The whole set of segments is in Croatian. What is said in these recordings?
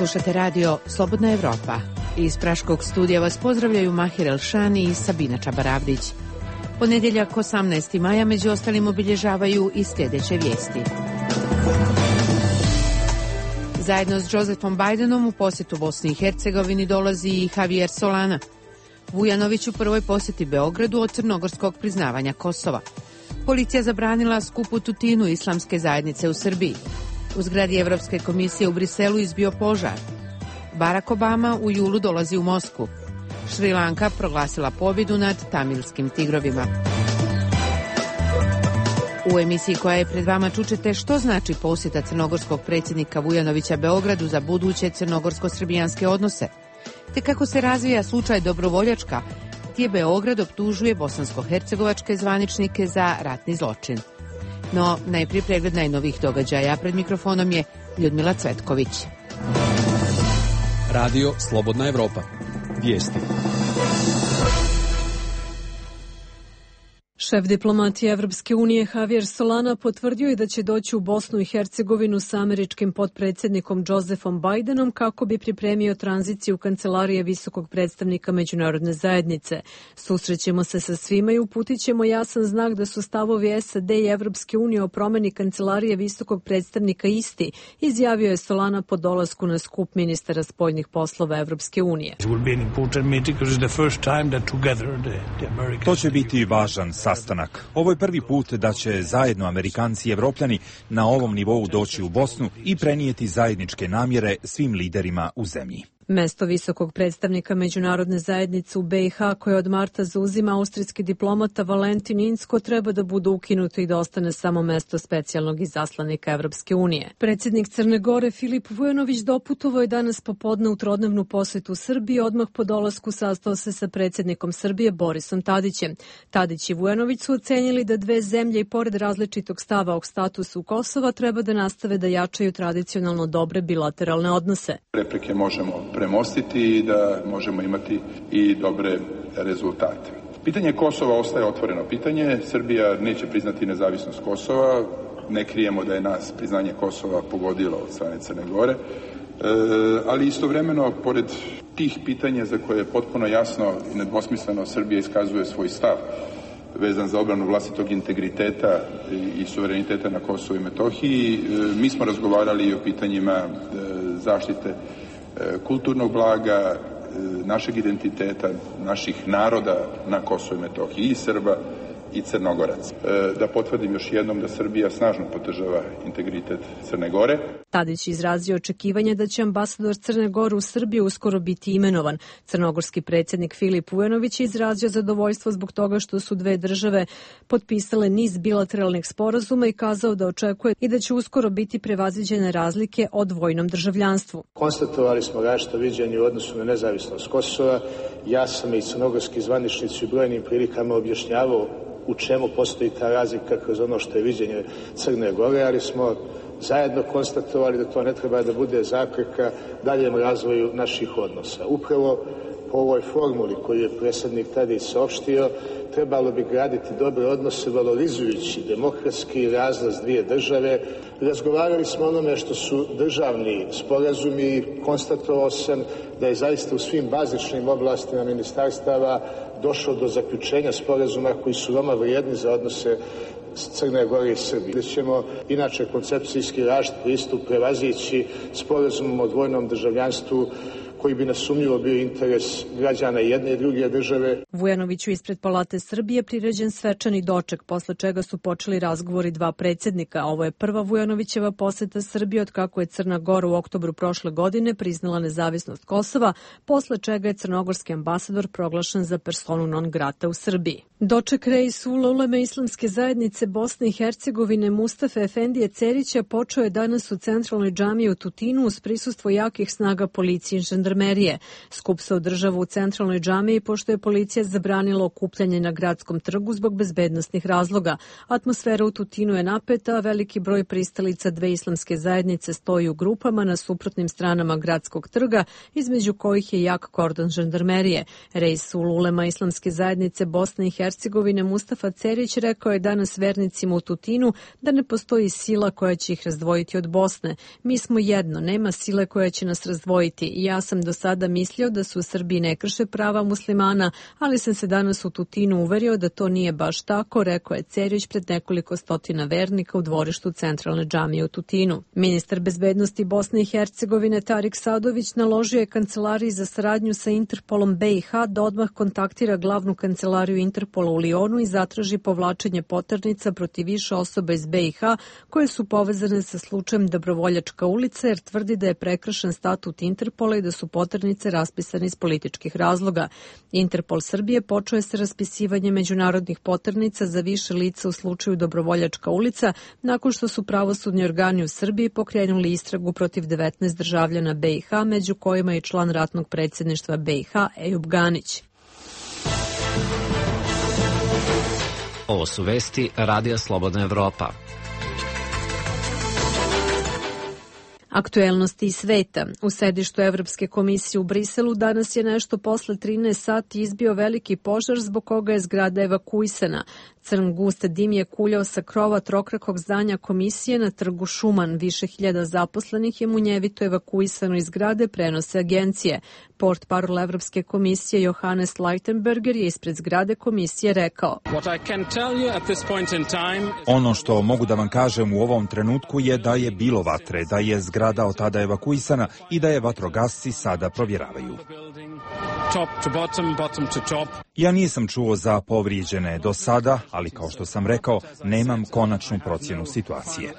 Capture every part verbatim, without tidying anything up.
Slušate radio Slobodna Evropa. Iz Praškog studija vas pozdravljaju Mahir Elšani i Sabina Čabaravdić. Ponedjeljak osamnaestog maja među ostalim obilježavaju i sljedeće vijesti. Zajedno s Josephom Bidenom u posjetu Bosni i Hercegovini dolazi i Javier Solana. Vujanović u prvoj posjeti Beogradu od crnogorskog priznavanja Kosova. Policija zabranila skup u Tutinu islamske zajednice u Srbiji. U zgradi Evropske komisije u Briselu izbio požar. Barack Obama u julu dolazi u Moskvu. Šri Lanka proglasila pobjedu nad tamilskim tigrovima. U emisiji koja je pred vama čućete što znači posjeta crnogorskog predsjednika Vujanovića Beogradu za buduće crnogorsko-srbijanske odnose, te kako se razvija slučaj Dobrovoljačka, gdje Beograd optužuje bosansko-hercegovačke zvaničnike za ratni zločin. No, najprije pregled najnovih događaja. Pred mikrofonom je Ljudmila Cvetković. Radio Slobodna Evropa. Vijesti. Šef diplomatije Evropske unije Javier Solana potvrdio je da će doći u Bosnu i Hercegovinu sa američkim potpredsjednikom Josephom Bidenom kako bi pripremio tranziciju kancelarije visokog predstavnika međunarodne zajednice. Susrećemo se sa svima i uputit ćemo jasan znak da su stavovi S A D i Evropske unije o promjeni kancelarije visokog predstavnika isti, izjavio je Solana po dolasku na skup ministara spoljnih poslova Evropske unije. To će biti važan sastanak. Ovo je prvi put da će zajedno Amerikanci i Evropljani na ovom nivou doći u Bosnu i prenijeti zajedničke namjere svim liderima u zemlji. Mesto visokog predstavnika međunarodne zajednice u B i H koje od marta zauzima austrijski diplomata Valentin Inzko treba da bude ukinuto i da ostane samo mesto specijalnog izaslanika Evropske unije. Predsjednik Crne Gore Filip Vujanović doputovao je danas popodne u trodnevnu posjetu Srbiji, odmah po dolasku sastao se sa predsjednikom Srbije Borisom Tadićem. Tadić i Vujanović su ocenili da dve zemlje i pored različitog stava o statusu Kosova treba da nastave da jačaju tradicionalno dobre bilateralne odnose. Replike možemo premostiti i da možemo imati i dobre rezultate. Pitanje Kosova ostaje otvoreno pitanje. Srbija neće priznati nezavisnost Kosova. Ne krijemo da je nas priznanje Kosova pogodilo od strane Crne Gore. E, ali istovremeno, pored tih pitanja za koje je potpuno jasno i nedvosmisleno Srbija iskazuje svoj stav vezan za obranu vlastitog integriteta i suvereniteta na Kosovu i Metohiji, mi smo razgovarali i o pitanjima zaštite kulturnog blaga, našeg identiteta, naših naroda na Kosovu i Metohiji, i Srba i Crnogoraca. Da potvrdim još jednom da Srbija snažno podržava integritet Crne Gore. Tadić izrazio očekivanje da će ambasador Crne Gore u Srbiji uskoro biti imenovan. Crnogorski predsjednik Filip Vujanović je izrazio zadovoljstvo zbog toga što su dve države potpisale niz bilateralnih sporazuma i kazao da očekuje i da će uskoro biti prevaziđene razlike o dvojnom državljanstvu. Konstatovali smo različito viđenje u odnosu na nezavisnost Kosova. Ja sam i crnogorski zvaničnici u brojnim prilikama objašnjavao u čemu postoji ta razlika kroz ono što je viđenje Crne Gore, ali smo zajedno konstatovali da to ne treba da bude zapreka daljem razvoju naših odnosa. Upravo po ovoj formuli koju je predsjednik Tadić saopštio, trebalo bi graditi dobre odnose valorizujući demokratski razlaz dvije države. Razgovarali smo o onome što su državni sporazumi i konstatovao sam da je zaista u svim bazičnim oblastima ministarstava došlo do zaključenja sporazuma koji su veoma vrijedni za odnose Crne Gore i Srbije. Da ćemo inače koncepcijski različit pristup prevazići sporazumom o dvojnom državljanstvu koji bi nesumnjivo bio interes građana jedne i druge države. Vujanoviću ispred Palate Srbije priređen svečani doček, posle čega su počeli razgovori dva predsjednika. Ovo je prva Vujanovićeva posjeta Srbije od kako je Crna Gora u oktobru prošle godine priznala nezavisnost Kosova, posle čega je crnogorski ambasador proglašen za personu non grata u Srbiji. Doček reisula uleme islamske zajednice Bosne i Hercegovine Mustafe Efendije Cerića počeo je danas u centralnoj džamiji u Tutinu uz prisustvo jakih snaga policije i žandarmerije. žandarmerije. Skup se održava u centralnoj džamiji pošto je policija zabranila okupljanje na gradskom trgu zbog bezbednosnih razloga. Atmosfera u Tutinu je napeta, a veliki broj pristalica dve islamske zajednice stoji u grupama na suprotnim stranama gradskog trga, između kojih je jak kordon žandarmerije. Reisul ulema islamske zajednice Bosne i Hercegovine Mustafa Cerić rekao je danas vernicima u Tutinu da ne postoji sila koja će ih razdvojiti od Bosne. Mi smo jedno, nema sile koja će nas razdvojiti. I ja sam do sada mislio da su u Srbiji ne krše prava muslimana, ali sam se danas u Tutinu uverio da to nije baš tako, rekao je Cerić pred nekoliko stotina vernika u dvorištu centralne džamije u Tutinu. Ministar bezbednosti Bosne i Hercegovine Tarik Sadović naložio je Kancelariji za saradnju sa Interpolom B i H da odmah kontaktira glavnu kancelariju Interpola u Lionu i zatraži povlačenje poternica protiv više osoba iz B i H koje su povezane sa slučajem Dobrovoljačka ulica, jer tvrdi da je prekršen statut Interpola i da su poternice raspisane iz političkih razloga. Interpol Srbije počeo je sa raspisivanjem međunarodnih poternica za više lica u slučaju Dobrovoljačka ulica nakon što su pravosudni organi u Srbiji pokrenuli istragu protiv devetnaest državljana B i H, među kojima je član ratnog predsjedništva B i H Ejub Ganić. Ovo su vesti Radija Slobodna Evropa. Aktuelnosti iz sveta. U sedištu Evropske komisije u Briselu danas je nešto posle trinaest sati izbio veliki požar zbog koga je zgrada evakuisana. Crn gust dim je kuljao sa krova trokrakog zdanja komisije na trgu Šuman. Više hiljada zaposlenih je munjevito evakuisano iz zgrade, prenose agencije. Portparol Evropske komisije Johannes Leitenberger je ispred zgrade komisije rekao: Ono što mogu da vam kažem u ovom trenutku je da je bilo vatre, da je zgrada od tada evakuisana i da je vatrogasci sada provjeravaju. Ja nisam čuo za povrijeđene do sada, ali kao što sam rekao, nemam konačnu procjenu situacije.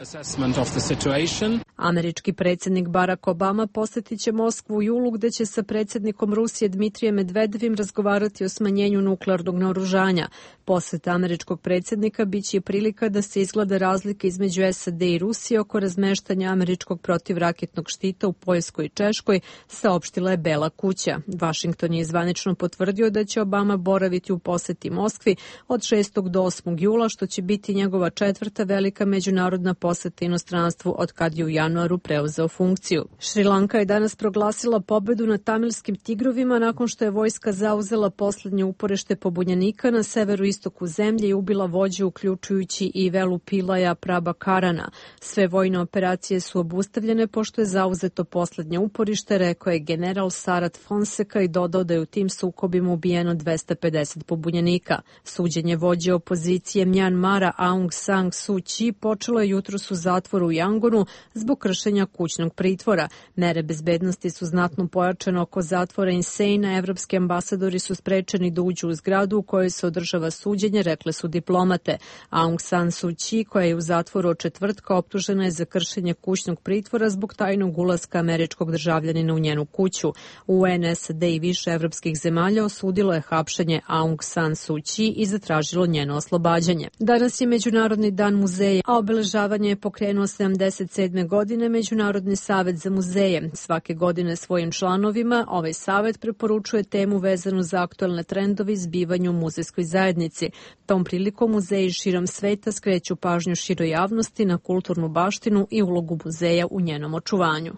Američki predsjednik Barack Obama posjetit će Moskvu u julu, gde će sa predsjednikom Rusije Dmitrijem Medvedevim razgovarati o smanjenju nuklearnog naoružanja. Posjeta američkog predsjednika biće prilika da se izgleda razlike između S A D i Rusije oko razmeštanja američkog protivraketnog štita u Poljskoj i Češkoj, saopštila je Bela kuća. Vašington je zvanično potvrdio da će Obama boraviti u posjeti Moskvi od šestog do osmog jula, što će biti njegova četvrta velika međunarodna posjeta inostranstvu od kad je u januaru preuzeo funkciju. Šrilanka je danas proglasila pobedu nad tamilskim tigrovima nakon što je vojska zauzela poslednje uporište pobunjenika na severu istoku zemlje i ubila vođu uključujući i Velu Pilaja Prabakarana. Sve vojne operacije su obustavljene pošto je zauzeto poslednje uporište, rekao je general Sarat Fonseca i dodao da je u tim sukobima ubijeno dvesta pedeset pobunjenika. Suđenje vođe opozicije Mjanmara Aung San Suu Kyi počelo je jutros u zatvoru u Yangonu zbog kršenja kućnog pritvora. Mere bezbednosti su znatno pojačane oko zatvora Inseina. Evropski ambasadori su sprečeni da uđu u zgradu u kojoj se održava suđenje, rekle su diplomate. Aung San Suu Kyi, koja je u zatvoru od četvrtka, optužena je za kršenje kućnog pritvora zbog tajnog ulaska američkog državljanina u njenu kuću. U N S A D i više evropskih zemalja osudilo je hapšenje Aung San Suu Kyi i zatražilo njeno oslobađanje. Danas je Međunarodni dan muzeja, a obeležavanje je pokrenuo sedamdeset sedme godine Međunarodni savet za muzeje. Svake godine svojim članovima ovaj savet preporučuje temu vezanu za aktuelne trendove i zbivanja u muzejskoj zajednici. Tom prilikom muzeji širom sveta skreću pažnju široj javnosti na kulturnu baštinu i ulogu muzeja u njenom očuvanju.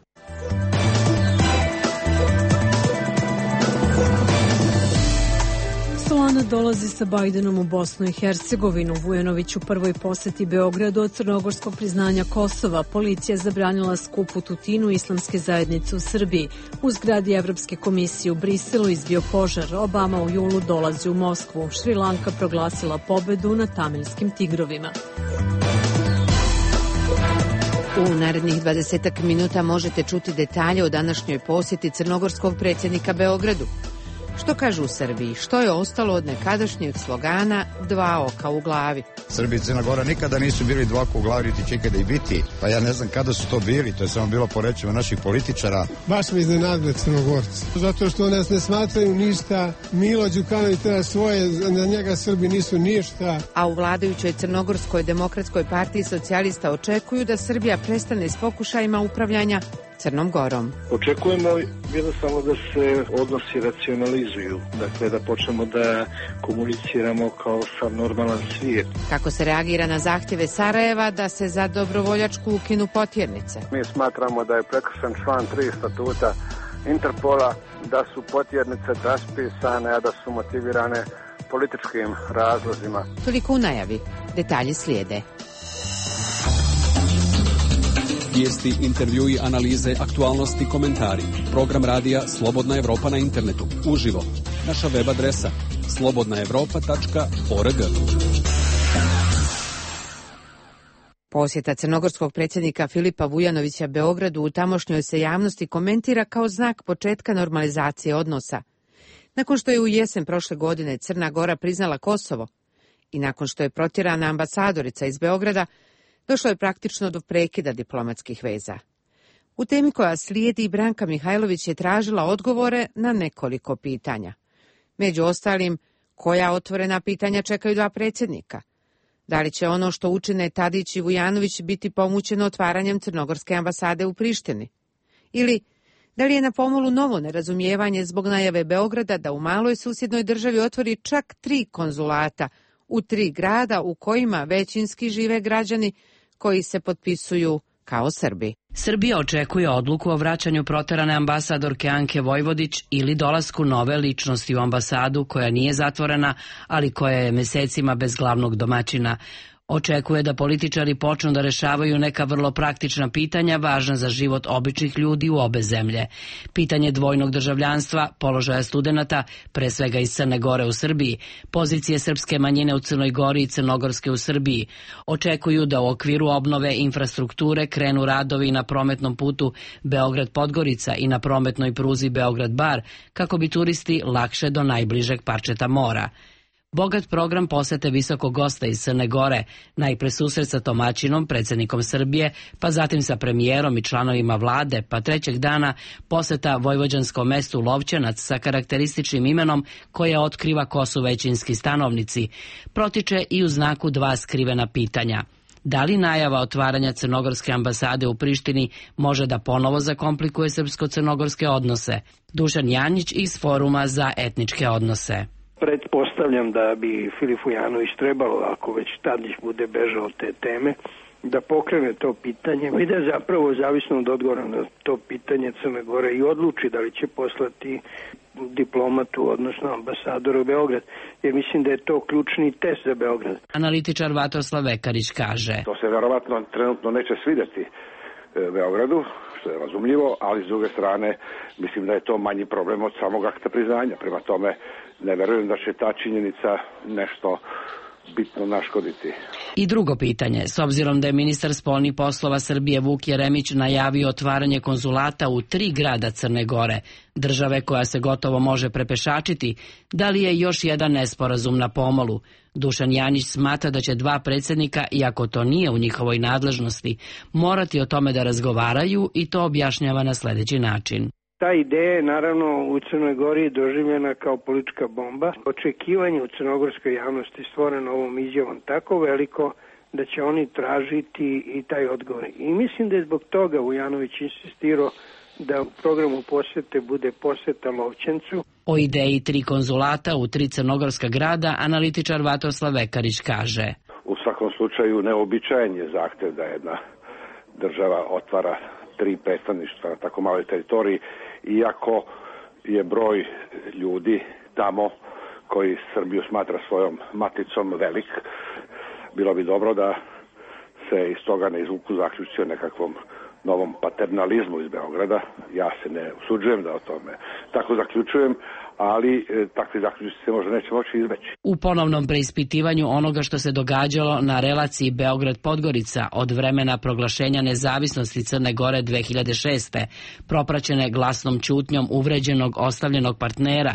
Solana dolazi sa Bajdenom u Bosnu i Hercegovinu. Vujanović u prvoj poseti Beogradu od crnogorskog priznanja Kosova. Policija zabranila skup u Tutinu islamske zajednice u Srbiji. U zgradi Evropske komisije u Briselu izbio požar. Obama u julu dolazi u Moskvu. Šrilanka proglasila pobedu na tamilskim tigrovima. U narednih dvadesetak minuta možete čuti detalje o današnjoj posjeti crnogorskog predsjednika Beogradu. Što kažu u Srbiji? Što je ostalo od nekadašnjeg slogana dva oka u glavi? Srbija i Crna Gora nikada nisu bili dva oka u glavi, niti će ikada i biti. Pa ja ne znam kada su to bili, to je samo bilo po rečima naših političara. Baš me iznenadile Crnogorci. Zato što nas ne smatraju ništa. Milo Đukanović treba svoje, na njega Srbi nisu ništa. A u vladajućoj Crnogorskoj demokratskoj partiji socijalista očekuju da Srbija prestane s pokušajima upravljanja Crnom Gorom. Očekujemo jednostavno da se odnosi racionalizuju, dakle da počnemo da komuniciramo kao sa normalan svijet. Kako se reagira na zahtjeve Sarajeva da se za dobrovoljačku ukinu potjernice? Mi smatramo da je prekršen član tri statuta Interpola, da su potjernice raspisane, a da su motivirane političkim razlozima. Toliko u najavi. Detalji slijede. Vijesti, intervjui, analize, aktualnosti, komentari. Program radija Slobodna Evropa na internetu. Uživo. Naša web adresa slobodna evropa tačka org. Posjeta crnogorskog predsjednika Filipa Vujanovića Beogradu u tamošnjoj se javnosti komentira kao znak početka normalizacije odnosa. Nakon što je u jesen prošle godine Crna Gora priznala Kosovo i nakon što je protjerana ambasadorica iz Beograda, došlo je praktično do prekida diplomatskih veza. U temi koja slijedi, Branka Mihajlović je tražila odgovore na nekoliko pitanja. Među ostalim, koja otvorena pitanja čekaju dva predsjednika? Da li će ono što učine Tadić i Vujanović biti pomućeno otvaranjem crnogorske ambasade u Prištini? Ili, da li je na pomolu novo nerazumijevanje zbog najave Beograda da u maloj susjednoj državi otvori čak tri konzulata u tri grada u kojima većinski žive građani koji se potpisuju kao Srbi? Srbija očekuje odluku o vraćanju proterane ambasadorke Anke Vojvodić ili dolasku nove ličnosti u ambasadu koja nije zatvorena, ali koja je mesecima bez glavnog domaćina. Očekuje da političari počnu da rešavaju neka vrlo praktična pitanja važna za život običnih ljudi u obe zemlje. Pitanje dvojnog državljanstva, položaja studenata, pre svega iz Crne Gore u Srbiji, pozicije srpske manjine u Crnoj Gori i crnogorske u Srbiji. Očekuju da u okviru obnove infrastrukture krenu radovi na prometnom putu Beograd-Podgorica i na prometnoj pruzi Beograd-Bar, kako bi turisti lakše do najbližeg parčeta mora. Bogat program posete visokog gosta iz Crne Gore, najpre susret sa domaćinom, predsjednikom Srbije, pa zatim sa premijerom i članovima vlade, pa trećeg dana poseta vojvođanskom mestu Lovćenac sa karakterističnim imenom koje otkriva ko su većinski stanovnici. Protiče i u znaku dva skrivena pitanja. Da li najava otvaranja crnogorske ambasade u Prištini može da ponovo zakomplikuje srpsko-crnogorske odnose? Dušan Janjić iz Foruma za etničke odnose. Pretpostavljam da bi Filip Vujanović trebalo, ako već Tadić bude bežao od te teme, da pokrene to pitanje i da zapravo zavisno od odgovora na to pitanje Crne Gore i odluči da li će poslati diplomatu, odnosno ambasadora u Beograd, jer mislim da je to ključni test za Beograd. Analitičar Vatroslav Vekarić kaže: To se verovatno trenutno neće svidjeti Beogradu, što je razumljivo, ali s druge strane mislim da je to manji problem od samog akta priznanja. Prema tome ne verujem da će ta činjenica nešto bitno naškoditi. I drugo pitanje, s obzirom da je ministar spoljnih poslova Srbije Vuk Jeremić najavio otvaranje konzulata u tri grada Crne Gore, države koja se gotovo može prepešačiti, da li je još jedan nesporazum na pomolu? Dušan Janić smatra da će dva predsjednika, iako to nije u njihovoj nadležnosti, morati o tome da razgovaraju i to objašnjava na sljedeći način. Ta ideja je naravno u Crnoj Gori doživljena kao politička bomba. Očekivanje u crnogorskoj javnosti stvoreno ovom izjavom tako veliko da će oni tražiti i taj odgovor. I mislim da je zbog toga Vujanović insistirao da u programu posjete bude posjeta Lovćencu. O ideji tri konzulata u tri crnogorska grada analitičar Vatroslav Vekarić kaže: U svakom slučaju neobičajen je zahtjev da jedna država otvara tri predstavništva na tako maloj teritoriji, iako je broj ljudi tamo koji Srbiju smatra svojom maticom velik. Bilo bi dobro da se iz toga ne izvuku zaključci o nekakvom novom paternalizmu iz Beograda. Ja se ne usuđujem da o tome tako zaključujem, ali e, takvi zaključci se možda neće moći izbeći. U ponovnom preispitivanju onoga što se događalo na relaciji Beograd-Podgorica od vremena proglašenja nezavisnosti Crne Gore dve hiljade šeste, propraćene glasnom ćutnjom uvređenog ostavljenog partnera,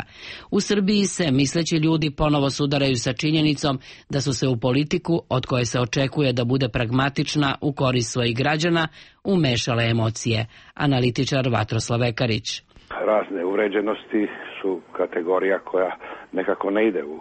u Srbiji se misleći ljudi ponovo sudaraju sa činjenicom da su se u politiku, od koje se očekuje da bude pragmatična u korist svojih građana, umešale emocije. Analitičar Vatroslav Vekarić: Razne uvređenosti su kategorija koja nekako ne ide u,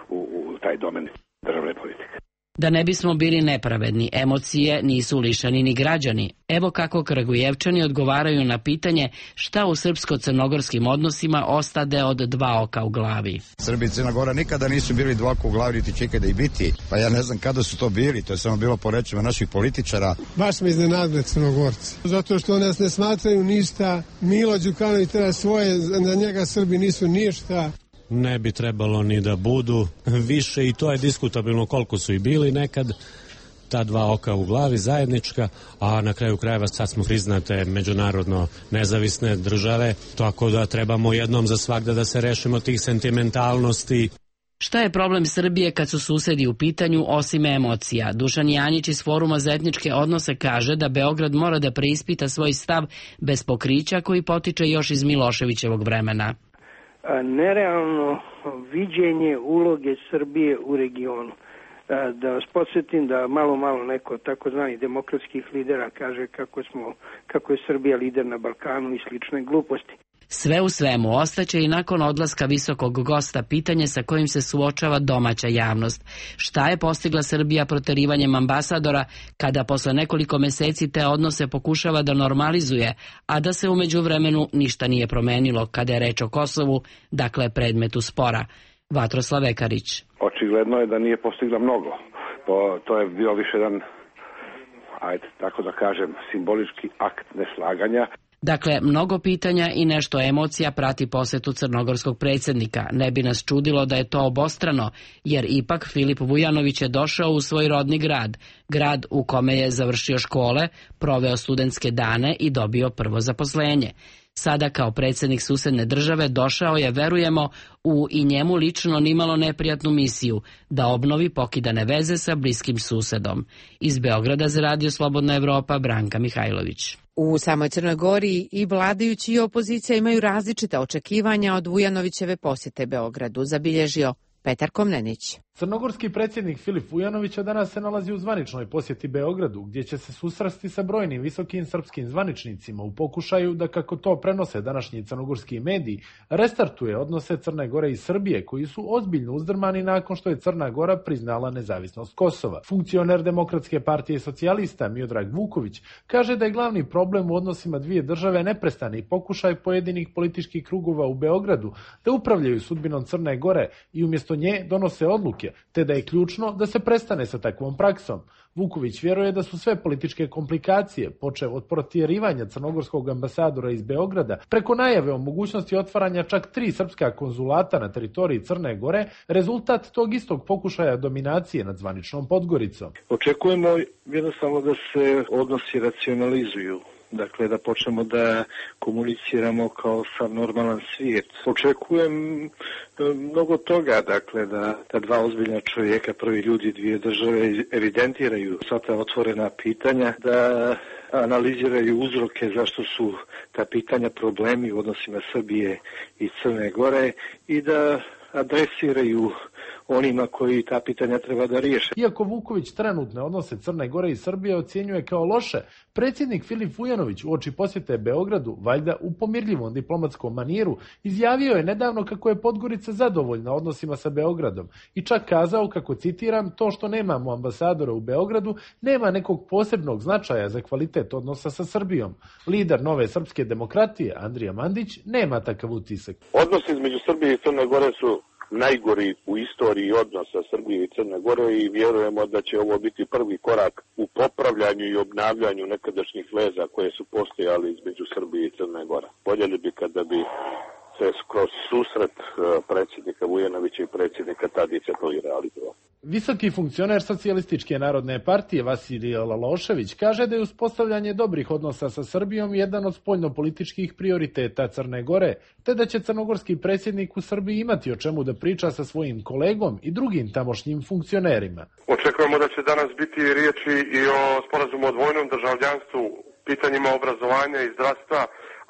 u, u taj domen državne politike. Da ne bismo bili nepravedni, emocije nisu lišani ni građani. Evo kako Kragujevčani odgovaraju na pitanje šta u srpsko-crnogorskim odnosima ostade od dva oka u glavi. Srbi i Crna Gora nikada nisu bili dva oka u glavi, niti će ikada i biti. Pa ja ne znam kada su to bili, to je samo bilo po rečima naših političara. Baš me iznenadili Crnogorci. Zato što nas ne smatraju ništa. Milo Đukanović treba svoje, na njega Srbi nisu ništa. Ne bi trebalo ni da budu više i to je diskutabilno koliko su i bili nekad ta dva oka u glavi zajednička, a na kraju krajeva sad smo priznate međunarodno nezavisne države, tako da trebamo jednom za svagda da se rešimo tih sentimentalnosti. Šta je problem Srbije kad su susedi u pitanju osim emocija? Dušan Janjić iz Foruma za etničke odnose kaže da Beograd mora da preispita svoj stav bez pokrića koji potiče još iz Miloševićevog vremena. Nerealno viđenje uloge Srbije u regionu. Da vas podsjetim da malo malo neko takozvani demokratskih lidera kaže kako smo, kako je Srbija lider na Balkanu i slične gluposti. Sve u svemu, ostaće i nakon odlaska visokog gosta pitanje sa kojim se suočava domaća javnost. Šta je postigla Srbija proterivanjem ambasadora kada posle nekoliko meseci te odnose pokušava da normalizuje, a da se u međuvremenu ništa nije promenilo kada je reč o Kosovu, dakle predmetu spora. Vatroslav Vekarić. Očigledno je da nije postigla mnogo. To, to je bio više jedan, ajde, tako da kažem, simbolički akt neslaganja. Dakle, mnogo pitanja i nešto emocija prati posetu crnogorskog predsjednika. Ne bi nas čudilo da je to obostrano, jer ipak Filip Vujanović je došao u svoj rodni grad, grad u kome je završio škole, proveo studentske dane i dobio prvo zaposlenje. Sada kao predsjednik susedne države došao je, verujemo, u i njemu lično nimalo neprijatnu misiju da obnovi pokidane veze sa bliskim susedom. Iz Beograda za Radio Slobodna Evropa, Branka Mihajlović. U samoj Crnoj Gori i vladajući i opozicija imaju različita očekivanja od Vujanovićeve posjete Beogradu, zabilježio Petar Komnenić. Crnogorski predsjednik Filip Vujanović danas se nalazi u zvaničnoj posjeti Beogradu, gdje će se susresti sa brojnim visokim srpskim zvaničnicima u pokušaju da, kako to prenose današnji crnogorski mediji, restartuje odnose Crne Gore i Srbije, koji su ozbiljno uzdrmani nakon što je Crna Gora priznala nezavisnost Kosova. Funkcioner Demokratske partije socijalista Miodrag Vuković kaže da je glavni problem u odnosima dvije države neprestani pokušaj pojedinih političkih krugova u Beogradu da upravljaju sudbinom Crne Gore i umjesto nje donose odluke, te da je ključno da se prestane sa takvom praksom. Vuković vjeruje da su sve političke komplikacije, počev od protjerivanja crnogorskog ambasadora iz Beograda, preko najave o mogućnosti otvaranja čak tri srpska konzulata na teritoriji Crne Gore, rezultat tog istog pokušaja dominacije nad zvaničnom Podgoricom. Očekujemo jednostavno da se odnosi racionalizuju. Dakle, da počnemo da komuniciramo kao sa normalan svijet. Očekujem mnogo toga, dakle, da ta dva ozbiljna čovjeka, prvi ljudi dvije države, evidentiraju sva ta otvorena pitanja, da analiziraju uzroke zašto su ta pitanja problemi u odnosima Srbije i Crne Gore i da adresiraju onima koji ta pitanja treba da riješe. Iako Vuković trenutne odnose Crne Gore i Srbije ocjenjuje kao loše, predsjednik Filip Vujanović uoči posjete Beogradu, valjda u pomirljivom diplomatskom maniru, izjavio je nedavno kako je Podgorica zadovoljna odnosima sa Beogradom i čak kazao, kako citiram, to što nemamo ambasadora u Beogradu nema nekog posebnog značaja za kvalitet odnosa sa Srbijom. Lider Nove srpske demokratije, Andrija Mandić, nema takav utisak. Odnosi između Srbije i Crne Gore su najgori u istoriji odnosa Srbije i Crne Gore i vjerujemo da će ovo biti prvi korak u popravljanju i obnavljanju nekadašnjih veza koje su postojali između Srbije i Crne Gore. Voljeli bi kada bi se kroz susret predsjednika Vujanovića i predsjednika Tadića to i realizovao. Visoki funkcioner Socijalističke narodne partije Vasilij Lalošević kaže da je uspostavljanje dobrih odnosa sa Srbijom jedan od spoljnopolitičkih prioriteta Crne Gore, te da će crnogorski predsjednik u Srbiji imati o čemu da priča sa svojim kolegom i drugim tamošnjim funkcionerima. Očekujemo da će danas biti riječi i o sporazumu o dvojnom državljanstvu, pitanjima obrazovanja i zdravstva,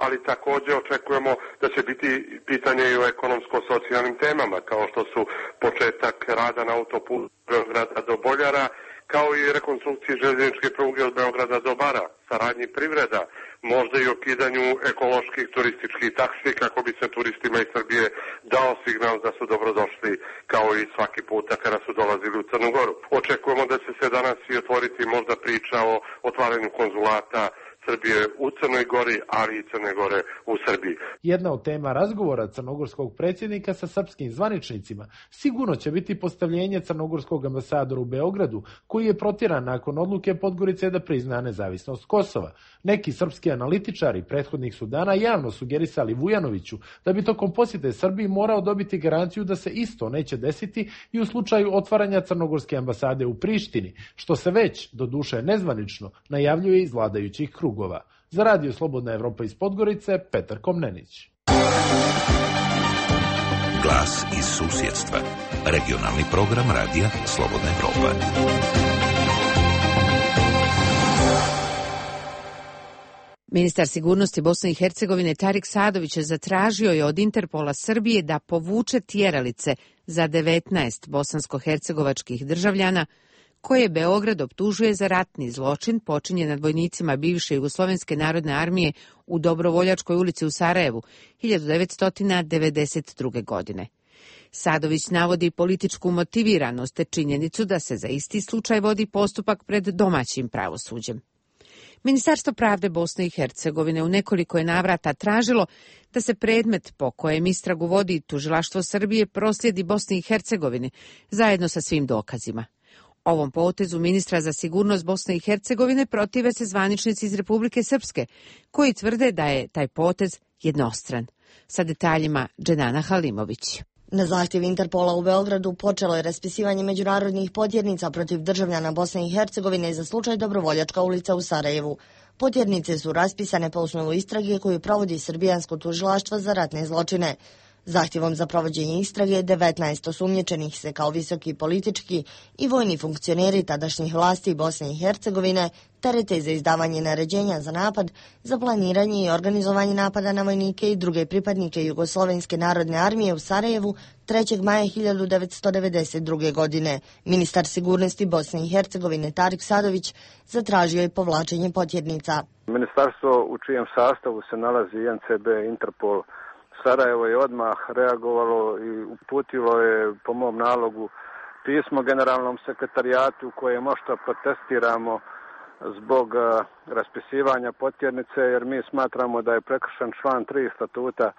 ali također očekujemo da će biti pitanje i o ekonomsko-socijalnim temama, kao što su početak rada na autoputu od Beograda do Boljara, kao i rekonstrukciji željezničke pruge od Beograda do Bara, saradnji privreda, možda i o kidanju ekoloških turističkih taksi kako bi se turistima iz Srbije dao signal da su dobrodošli kao i svaki puta kada su dolazili u Crnu Goru. Očekujemo da će se danas i otvoriti možda priča o otvaranju konzulata Srbije u Crnoj Gori, ali i Crne Gore u Srbiji. Jedna od tema razgovora crnogorskog predsjednika sa srpskim zvaničnicima sigurno će biti postavljenje crnogorskog ambasadora u Beogradu, koji je protjeran nakon odluke Podgorice da prizna nezavisnost Kosova. Neki srpski analitičari prethodnih su dana javno sugerisali Vujanoviću da bi tokom posjete Srbiji morao dobiti garanciju da se isto neće desiti i u slučaju otvaranja crnogorske ambasade u Prištini, što se već, doduše nezvanično, najavljuje iz vladajućih krugova. Za Radio Slobodna Evropa iz Podgorice, Petar Komnenić. Glas iz susjedstva. Regionalni program Radija Slobodna Evropa. Ministar sigurnosti Bosne i Hercegovine Tarik Sadović zatražio je od Interpola Srbije da povuče tjeralice za devetnaest bosansko-hercegovačkih državljana koje Beograd optužuje za ratni zločin počinjen nad vojnicima bivše Jugoslovenske narodne armije u Dobrovoljačkoj ulici u Sarajevu hiljadu devetsto devedeset druge. godine. Sadović navodi političku motiviranost te činjenicu da se za isti slučaj vodi postupak pred domaćim pravosuđem. Ministarstvo pravde Bosne i Hercegovine u nekoliko je navrata tražilo da se predmet po kojem istragu vodi tužilaštvo Srbije proslijedi Bosni i Hercegovini zajedno sa svim dokazima. Ovom potezu ministra za sigurnost Bosne i Hercegovine protive se zvaničnici iz Republike Srpske, koji tvrde da je taj potez jednostran. Sa detaljima Dženana Halimović. Na zahtjev Interpola u Beogradu počelo je raspisivanje međunarodnih potjernica protiv državljana Bosne i Hercegovine za slučaj Dobrovoljačka ulica u Sarajevu. Potjernice su raspisane po osnovu istrage koju provodi Srbijansko tužilaštvo za ratne zločine. Zahtjevom za provođenje istrage devetnaest osumnjičenih se kao visoki politički i vojni funkcioneri tadašnjih vlasti Bosne i Hercegovine terete za izdavanje naređenja za napad, za planiranje i organizovanje napada na vojnike i druge pripadnike Jugoslovenske narodne armije u Sarajevu trećeg maja hiljadu devetsto devedeset druge. godine. Ministar sigurnosti Bosne i Hercegovine Tarik Sadović zatražio je povlačenje potjernica. Ministarstvo u čijem sastavu se nalazi N C B, Interpol, Sarajevo je odmah reagovalo i uputilo je po mom nalogu pismo generalnom sekretarijatu koje možda protestiramo zbog raspisivanja potjernice, jer mi smatramo da je prekršen član tri statuta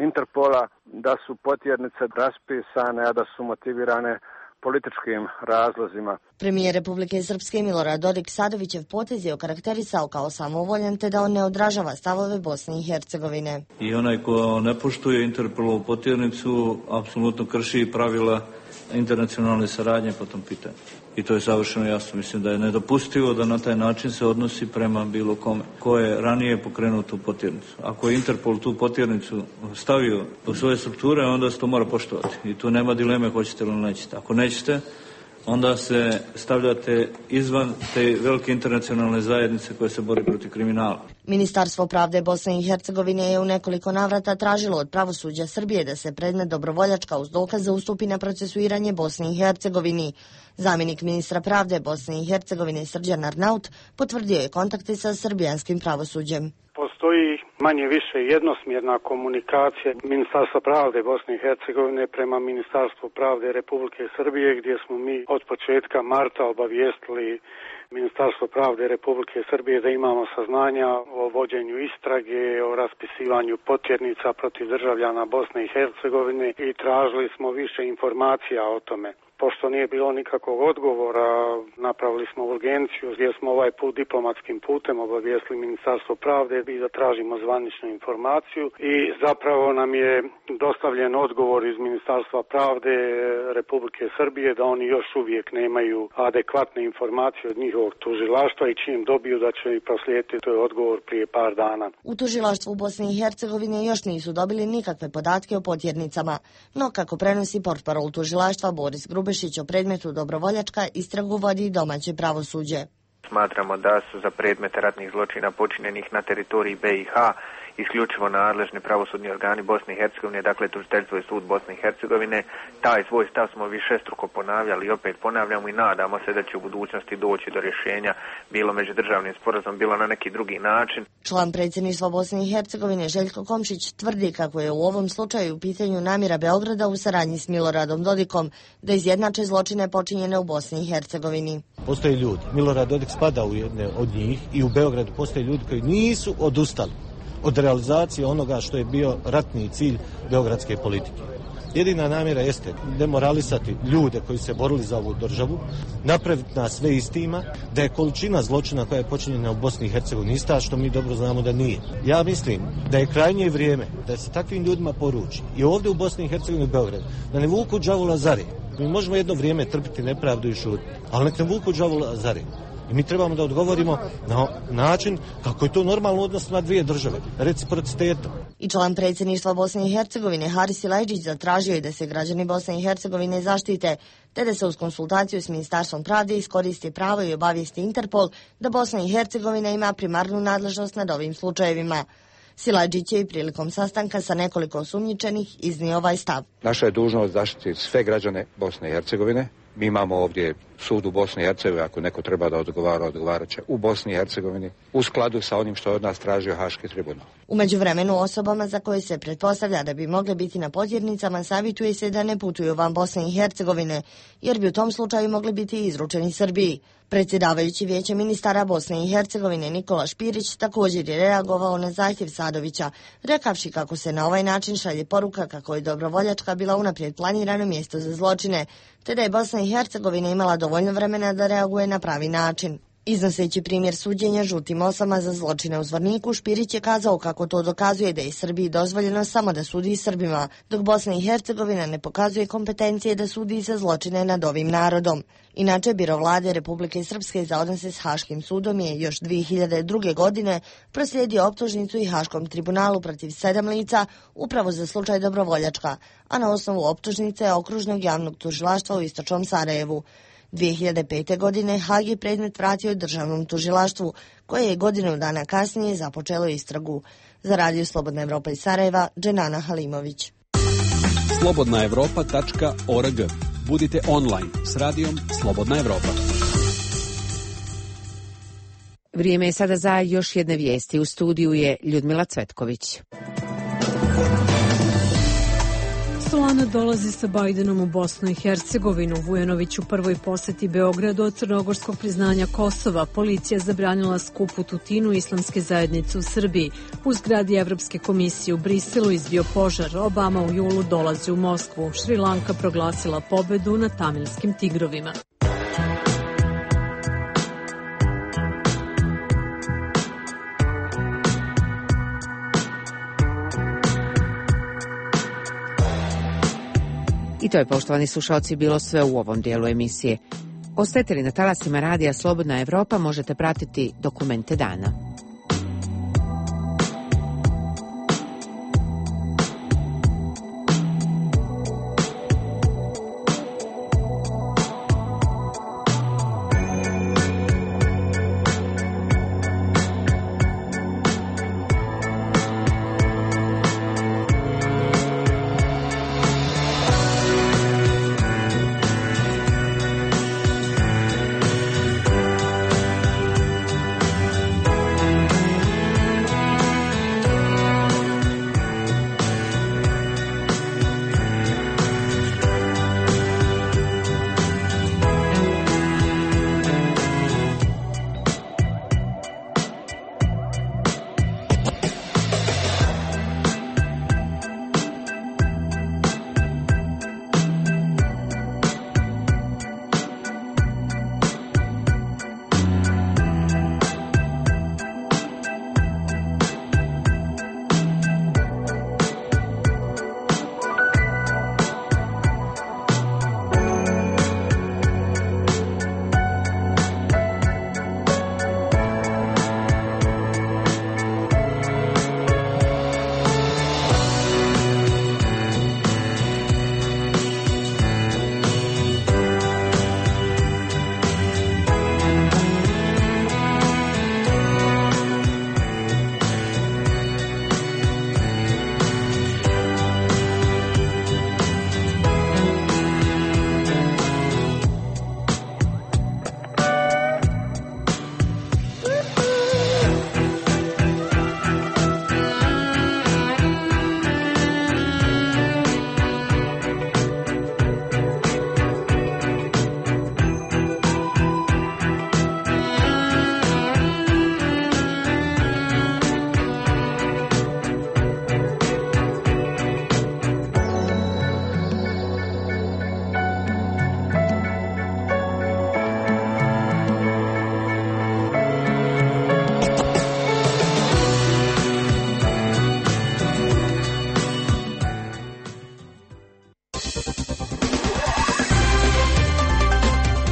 Interpola, da su potjernice raspisane, a da su motivirane političkim razlozima. Premijer Republike Srpske Milorad Dodik Sadovićev potez je okarakterisao kao samovoljan te da on ne odražava stavove Bosne i Hercegovine. I onaj ko ne poštuje Interpolovu potjernicu apsolutno krši pravila internacionalne saradnje po tom pitanju. I to je savršeno jasno. Mislim da je nedopustivo da na taj način se odnosi prema bilo kome ko je ranije pokrenuo tu potjernicu. Ako je Interpol tu potjernicu stavio u svoje strukture, onda se to mora poštovati. I tu nema dileme hoćete ili nećete. Ako nećete, onda se stavljate izvan te velike internacionalne zajednice koje se bori protiv kriminala. Ministarstvo pravde Bosne i Hercegovine je u nekoliko navrata tražilo od pravosuđa Srbije da se predmet Dobrovoljačka uz dokaze ustupi na procesuiranje Bosni i Hercegovini. Zamjenik ministra pravde Bosne i Hercegovine Srđan Arnaut potvrdio je kontakte sa srbijanskim pravosuđem. Postoji manje više jednosmjerna komunikacija Ministarstva pravde Bosne i Hercegovine prema Ministarstvu pravde Republike Srbije, gdje smo mi od početka marta obavijestili Ministarstvo pravde Republike Srbije da imamo saznanja o vođenju istrage, o raspisivanju potjernica protiv državljana Bosne i Hercegovine i tražili smo više informacija o tome. Pošto nije bilo nikakvog odgovora, napravili smo urgenciju gdje smo ovaj put diplomatskim putem obavijestili Ministarstvo pravde i da tražimo zvaničnu informaciju i zapravo nam je dostavljen odgovor iz Ministarstva pravde Republike Srbije da oni još uvijek nemaju adekvatne informacije od njihovog tužilaštva i čim dobiju da će i proslijediti, to je odgovor prije par dana. U tužilaštvu Bosne i Hercegovine još nisu dobili nikakve podatke o potjernicama, no kako prenosi portparol tužilaštva Boris Grubešić o predmetu Dobrovoljačka, istragu vodi domaće pravosuđe. Smatramo da su za predmete ratnih zločina počinjenih na teritoriji B i H isključivo nadležni pravosudni organi Bosne i Hercegovine, dakle tužiteljstvo i sud Bosne i Hercegovine. Taj svoj stav smo višestruko ponavljali i opet ponavljamo i nadamo se da će u budućnosti doći do rješenja, bilo međudržavnim sporazumom, bilo na neki drugi način. Član predsjedništva Bosne i Hercegovine Željko Komšić tvrdi kako je u ovom slučaju u pitanju namjera Beograda u saradnji s Miloradom Dodikom da izjednače zločine počinjene u Bosni i Hercegovini. Postoje ljudi, Milorad Dodik spada u jedne od njih i u Beogradu postoje ljudi koji nisu odustali od realizacije onoga što je bio ratni cilj beogradske politike. Jedina namjera jeste demoralisati ljude koji se borili za ovu državu, napraviti nas sve istima, da je količina zločina koja je počinjena u Bosni i Hercegovini ista, što mi dobro znamo da nije. Ja mislim da je krajnje vrijeme da se takvim ljudima poruči i ovdje u Bosni i Hercegovini u Beogradu da ne vuku đavola za rep. Mi možemo jedno vrijeme trpiti nepravdu i šutiti, ali nek ne vuku đavola za rep. I mi trebamo da odgovorimo na način kako je to normalno odnos na dvije države, reciprocitetom. I član predsjedništva Bosne i Hercegovine Haris Silajdžić zatražio je da se građani Bosne i Hercegovine zaštite, te da se uz konsultaciju s Ministarstvom pravde iskoristi pravo i obavijesti Interpol da Bosna i Hercegovina ima primarnu nadležnost nad ovim slučajevima. Silajdžić je i prilikom sastanka sa nekoliko osumnjičenih iznio ovaj stav. Naša je dužnost zaštiti sve građane Bosne i Hercegovine. Mi imamo ovdje sud u Bosni i Hercegovini, ako neko treba da odgovara, odgovarat će u Bosni i Hercegovini, u skladu sa onim što je od nas tražio Haški tribunal. U međuvremenu osobama za koje se pretpostavlja da bi mogle biti na potjernicama savjetuje se da ne putuju van Bosne i Hercegovine, jer bi u tom slučaju mogli biti izručeni Srbiji. Predsjedavajući Vijeće ministara Bosne i Hercegovine Nikola Špirić također je reagovao na zahtjev Sadovića, rekavši kako se na ovaj način šalje poruka kako je Dobrovoljačka bila unaprijed planirano mjesto za zločine, te da je Bosna i Hercegovina imala dovoljno vremena da reaguje na pravi način. Iznoseći primjer suđenja žutim osama za zločine u Zvorniku, Špirić je kazao kako to dokazuje da je Srbiji dozvoljeno samo da sudi Srbima, dok Bosna i Hercegovina ne pokazuje kompetencije da sudi za zločine nad ovim narodom. Inače, Biro vlade Republike Srpske za odnose s Haškim sudom je još dvije hiljade druge. godine proslijedio optužnicu i Haškom tribunalu protiv sedam lica upravo za slučaj Dobrovoljačka, a na osnovu optužnice Okružnog javnog tužilaštva u Istočnom Sarajevu. dvije hiljade pete. godine Hag je predmet vratio državnom tužilaštvu, koje je godinu dana kasnije započelo istragu. Za Radio Slobodna Evropa iz Sarajeva, Dženana Halimović. slobodna evropa tačka org. Budite online s radijom Slobodna Evropa. Vrijeme je sada za još jedne vijesti. U studiju je Ljudmila Cvetković. Solana dolazi sa Bajdenom u Bosnu i Hercegovinu. Vujanović u prvoj posjeti Beogradu od crnogorskog priznanja Kosova. Policija zabranila skup u Tutinu islamske zajednice u Srbiji. U zgradi Evropske komisije u Briselu izbio požar. Obama u julu dolazi u Moskvu. Šri Lanka proglasila pobedu na tamilskim tigrovima. I to je, poštovani slušalci, bilo sve u ovom dijelu emisije. Ostajete li na talasima radija Slobodna Evropa, možete pratiti dokumente dana.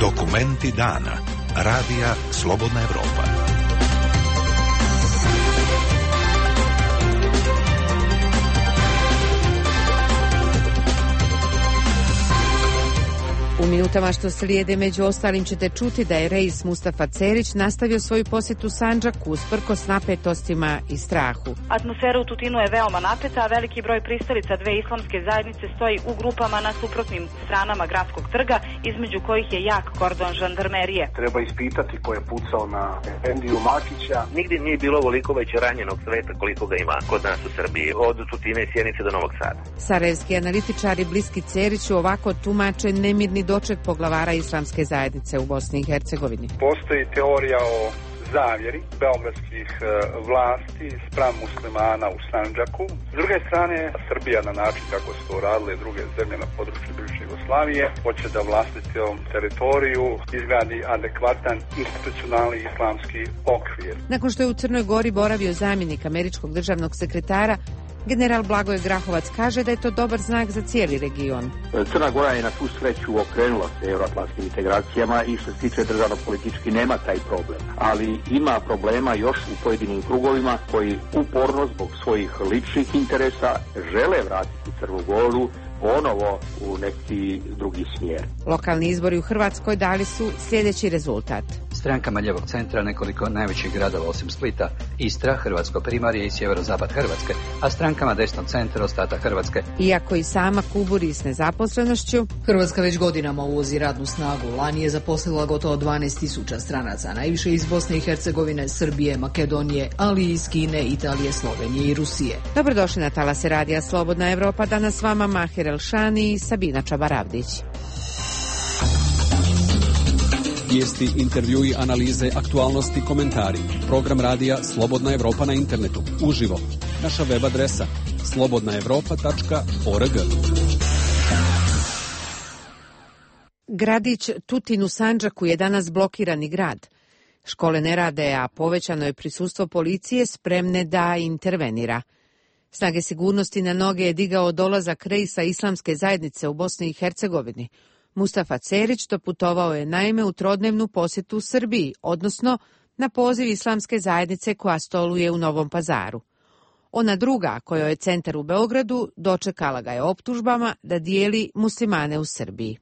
Dokumenti dana. Radija Slobodna Evropa. U minutama što slijede među ostalim ćete čuti da je Reis Mustafa Cerić nastavio svoju posjetu Sandžaku usprkos napetostima i strahu. Atmosfera u Tutinu je veoma napeta, a veliki broj pristalica dve islamske zajednice stoji u grupama na suprotnim stranama gradskog trga, između kojih je jak kordon žandarmerije. Treba ispitati ko je pucao na Efendiju Makića. Nigdje nije bilo ovoliko već ranjenog sveta koliko ga ima kod nas u Srbiji, od Tutine i Sjenice do Novog Sada. Sarajevski analitičari bliski Ceriću ovako tumače nemirni doček poglavara islamske zajednice u Bosni i Hercegovini. Postoji teorija o zavjeri beogradskih e, vlasti spram muslimana u Sandžaku. S druge strane, Srbija na način kako su to radile druge zemlje na području bivše Jugoslavije hoće da vlastitom teritoriju izgradi adekvatan institucionalni islamski okvir. Nakon što je u Crnoj Gori boravio zamjenik američkog državnog sekretara, general Blagoje Grahovac kaže da je to dobar znak za cijeli region. Crna Gora je na tu sreću okrenula se euroatlantskim integracijama i što se tiče državno-politički nema taj problem. Ali ima problema još u pojedinim krugovima koji uporno zbog svojih ličnih interesa žele vratiti Crnu Goru ponovo u neki drugi smjer. Lokalni izbori u Hrvatskoj dali su sljedeći rezultat. Strankama ljevog centra nekoliko najvećih gradova osim Splita, Istra, Hrvatsko primorje i sjeverozapad Hrvatske, a strankama desnog centra ostatak Hrvatske. Iako i sama kuburi s nezaposlenošću, Hrvatska već godinama uvozi radnu snagu. Lani je zaposlila gotovo dvanaest tisuća stranaca, najviše iz Bosne i Hercegovine, Srbije, Makedonije, ali i iz Kine, Italije, Slovenije i Rusije. Dobrodošli na talase radija Slobodna Evropa, danas s vama Mahir Elšani i Sabina Čabaravdić. Vijesti, intervjui, analize, aktualnosti, komentari. Program radija Slobodna Evropa na internetu. Uživo. Naša web adresa slobodna evropa tačka org. Gradić Tutin u Sandžaku je danas blokirani grad. Škole ne rade, a povećano je prisustvo policije spremne da intervenira. Snage sigurnosti na noge je digao dolazak Reisa islamske zajednice u Bosni i Hercegovini. Mustafa Cerić doputovao je naime u trodnevnu posjetu Srbiji, odnosno na poziv islamske zajednice koja stoluje u Novom Pazaru. Ona druga, kojoj je centar u Beogradu, dočekala ga je optužbama da dijeli muslimane u Srbiji.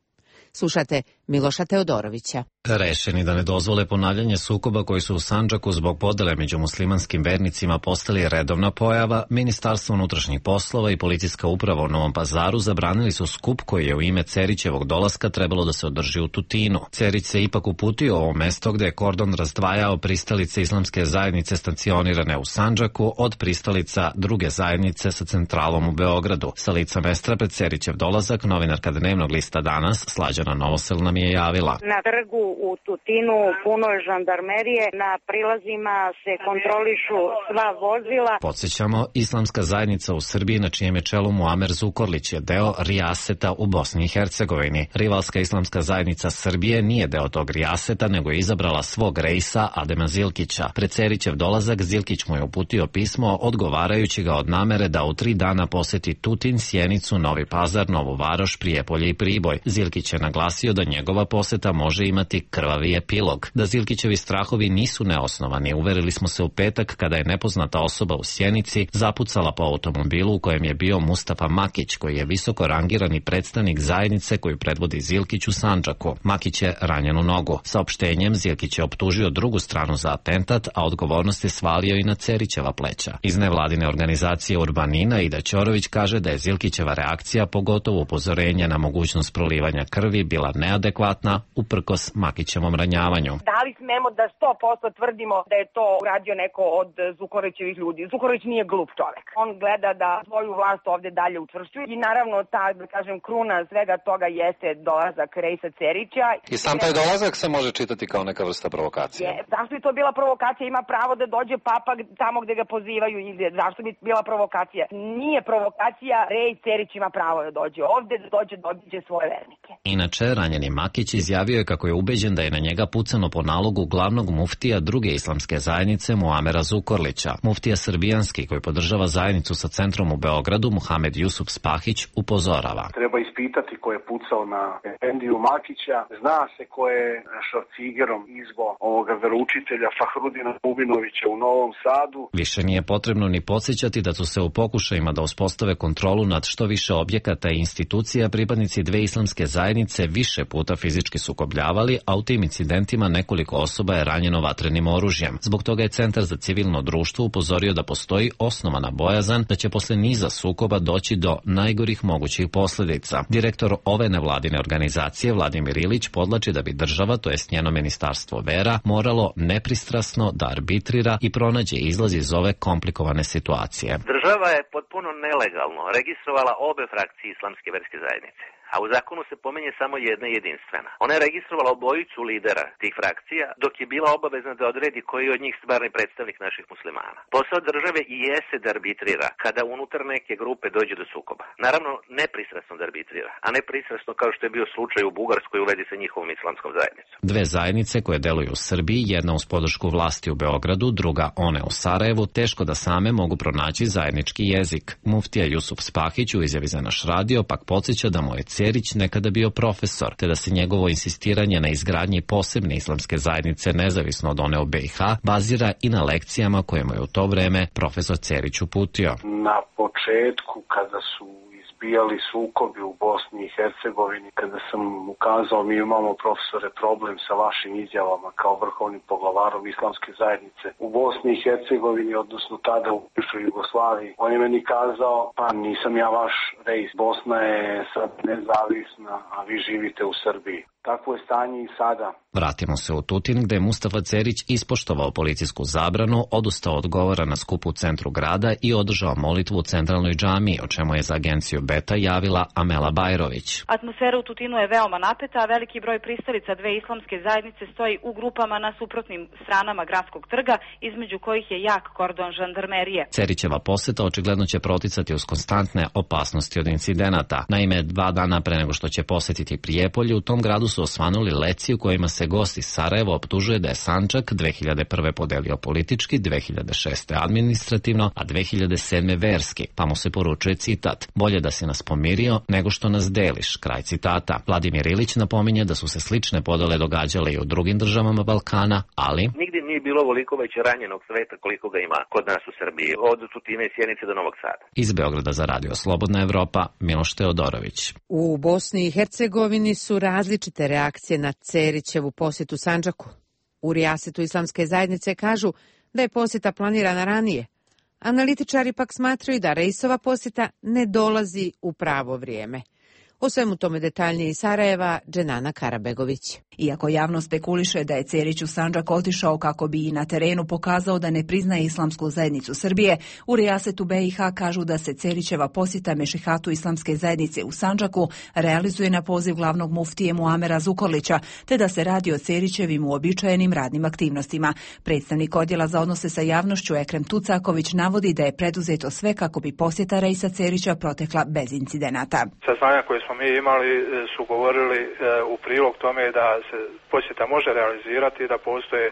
Slušate Miloša Teodorovića. Rešeni da ne dozvole ponavljanje sukoba koji su u Sandžaku zbog podele među muslimanskim vernicima postali redovna pojava, Ministarstvo unutrašnjih poslova i policijska uprava u Novom Pazaru zabranili su skup koji je u ime Cerićevog dolaska trebalo da se održi u Tutinu. Cerić se ipak uputio u ovo mesto gde je kordon razdvajao pristalice islamske zajednice stacionirane u Sandžaku od pristalica druge zajednice sa centralom u Beogradu. Sa lica mesta pred Cerićev dolazak novinarka dnevnog lista Danas Slađana Novosel nam je javila. Na trgu u Tutinu puno je žandarmerije, na prilazima se kontrolišu sva vozila. Podsjećamo, islamska zajednica u Srbiji na čijem je čelu Muamer Zukorlić je deo Rijaseta u Bosni i Hercegovini. Rivalska islamska zajednica Srbije nije deo tog Rijaseta, nego je izabrala svog Reisa Adema Zilkića. Pred Cerićev dolazak Zilkić mu je uputio pismo odgovarajući ga od namere da u tri dana poseti Tutin, Sjenicu, Novi Pazar, Novu Varoš, Prijepolje i Priboj. Zilkić je naglasio da njegova poseta može imati krvavi epilog. Da Zilkićevi strahovi nisu neosnovani, uverili smo se u petak kada je nepoznata osoba u Sjenici zapucala po automobilu u kojem je bio Mustafa Makić, koji je visoko rangirani predstavnik zajednice koju predvodi Zilkić u Sandžaku. Makić je ranjen u nogu. Saopštenjem Zilkić je optužio drugu stranu za atentat, a odgovornost je svalio i na Cerićeva pleća. Iz nevladine organizacije Urbanina Ida Ćorović kaže da je Zilkićeva reakcija, pogotovo upozorenje na mogućnost prolivanja krvi, bila neadekvatna uprkos Makićevom ranjavanju. Da li smemo da sto posto tvrdimo da je to uradio neko od Zukorlićevih ljudi? Zukorlić nije glup čovek. On gleda da svoju vlast ovde dalje učvršćuje i naravno ta, da kažem, kruna svega toga jeste dolazak Reisa Cerića. I sam taj dolazak se može čitati kao neka vrsta provokacije. Je, zašto bi to bila provokacija? Ima pravo da dođe papa tamo gde ga pozivaju i zašto bi bila provokacija? Nije provokacija, Rej Cerić ima pravo da dođe ovde, da dođe da obiđe svoje vernike. Inače, ranjeni Makić izjavio je kako je ubeđen ubeđen da je na njega pucano po nalogu glavnog muftija druge islamske zajednice Muamera Zukorlića. Muftija srbijanski, koji podržava zajednicu sa centrom u Beogradu, Muhamed Jusuf Spahić, upozorava. Treba ispitati ko je pucao na Efendiju Makića. Zna se ko je šorcigerom izbo ovoga veroučitelja Fahrudina Bubinovića u Novom Sadu. Više nije potrebno ni podsjećati da su se u pokušajima da uspostave kontrolu nad što više objekata i institucija pripadnici dve islamske zajednice više puta fizički sukobljavali, a u tim incidentima nekoliko osoba je ranjeno vatrenim oružjem. Zbog toga je Centar za civilno društvo upozorio da postoji osnovana bojazan da će posle niza sukoba doći do najgorih mogućih posljedica. Direktor ove nevladine organizacije Vladimir Ilić podlači da bi država, to jest njeno ministarstvo vera, moralo nepristrasno da arbitrira i pronađe izlaz iz ove komplikovane situacije. Država je potpuno nelegalno registrovala obe frakcije islamske verske zajednice, a u zakonu se pominje samo jedna jedinstvena. Ona je registrovala obojicu lidera tih frakcija, dok je bila obavezna da odredi koji od njih stvarni predstavnik naših muslimana. Posao države i jeste da arbitrira kada unutar neke grupe dođe do sukoba. Naravno, nepristrasno da arbitrira, a ne pristrasno kao što je bio slučaj u Bugarskoj u vezi sa njihovom islamskom zajednicom. Dve zajednice koje deluju u Srbiji, jedna uz podršku vlasti u Beogradu, druga one u Sarajevu, teško da same mogu pronaći zajednički jezik. Muftija Jusuf Spahić u izjavi za naš radio pak podsjeća da mu je Cerić nekada bio profesor, te da se njegovo insistiranje na izgradnji posebne islamske zajednice nezavisno od one u B i H bazira i na lekcijama koje mu je u to vreme profesor Cerić uputio. Na početku, kada su izbijali sukobi u Bosni i Hercegovini, kada sam ukazao mi imamo profesore problem sa vašim izjavama kao vrhovnim poglavarom islamske zajednice u Bosni i Hercegovini, odnosno tada u bivšoj Jugoslaviji, on je meni kazao, pa nisam ja vaš rejs, Bosna je sad nezavisna, a vi živite u Srbiji. Takvo je stanje i sada. Vratimo se u Tutin, gde je Mustafa Cerić ispoštovao policijsku zabranu, odustao od govora na skupu u centru grada i održao molitvu u centralnoj džamiji, o čemu je za agenciju Beta javila Amela Bajrović. Atmosfera u Tutinu je veoma napeta, a veliki broj pristalica dve islamske zajednice stoji u grupama na suprotnim stranama gradskog trga, između kojih je jak kordon žandarmerije. Cerićeva poseta očigledno će proticati uz konstantne opasnosti od incidenata. Naime, dva dana pre nego što će posetiti Prijepolje, u tom gradu su osvanuli leci u kojima se gost iz Sarajeva optužuje da je Sandžak dve hiljade prve podelio politički, dve hiljade šeste administrativno, a dve hiljade sedme verski, pa mu se poručuje citat: bolje da si nas pomirio nego što nas deliš, kraj citata. Vladimir Ilić napominje da su se slične podele događale i u drugim državama Balkana, ali nigdje nije bilo ovoliko već ranjenog sveta koliko ga ima kod nas u Srbiji, od Tutine i Sjenice do Novog Sada. Iz Beograda za radio Slobodna Evropa, Miloš Teodorović. U Bosni i Hercegovini su različite reakcije na Cerićevu posjetu Sandžaku. U Rijasetu islamske zajednice kažu da je posjeta planirana ranije. Analitičari pak smatraju da Reisova posjeta ne dolazi u pravo vrijeme. O svemu tome detaljnije iz Sarajeva, Dženana Karabegović. Iako javno spekuliše da je Cerić u Sandžak otišao kako bi i na terenu pokazao da ne priznaje islamsku zajednicu Srbije, u Rijasetu B i H kažu da se Cerićeva posjeta Mešihatu islamske zajednice u Sandžaku realizuje na poziv glavnog muftije Muamera Zukorlića, te da se radi o Cerićevim uobičajenim radnim aktivnostima. Predstavnik odjela za odnose sa javnošću Ekrem Tucaković navodi da je preduzeto sve kako bi posjeta Reisa Cerića protekla bez incidenata. Saznanja koje smo mi imali su govorili u prilog tome da se posjeta može realizirati, da postoje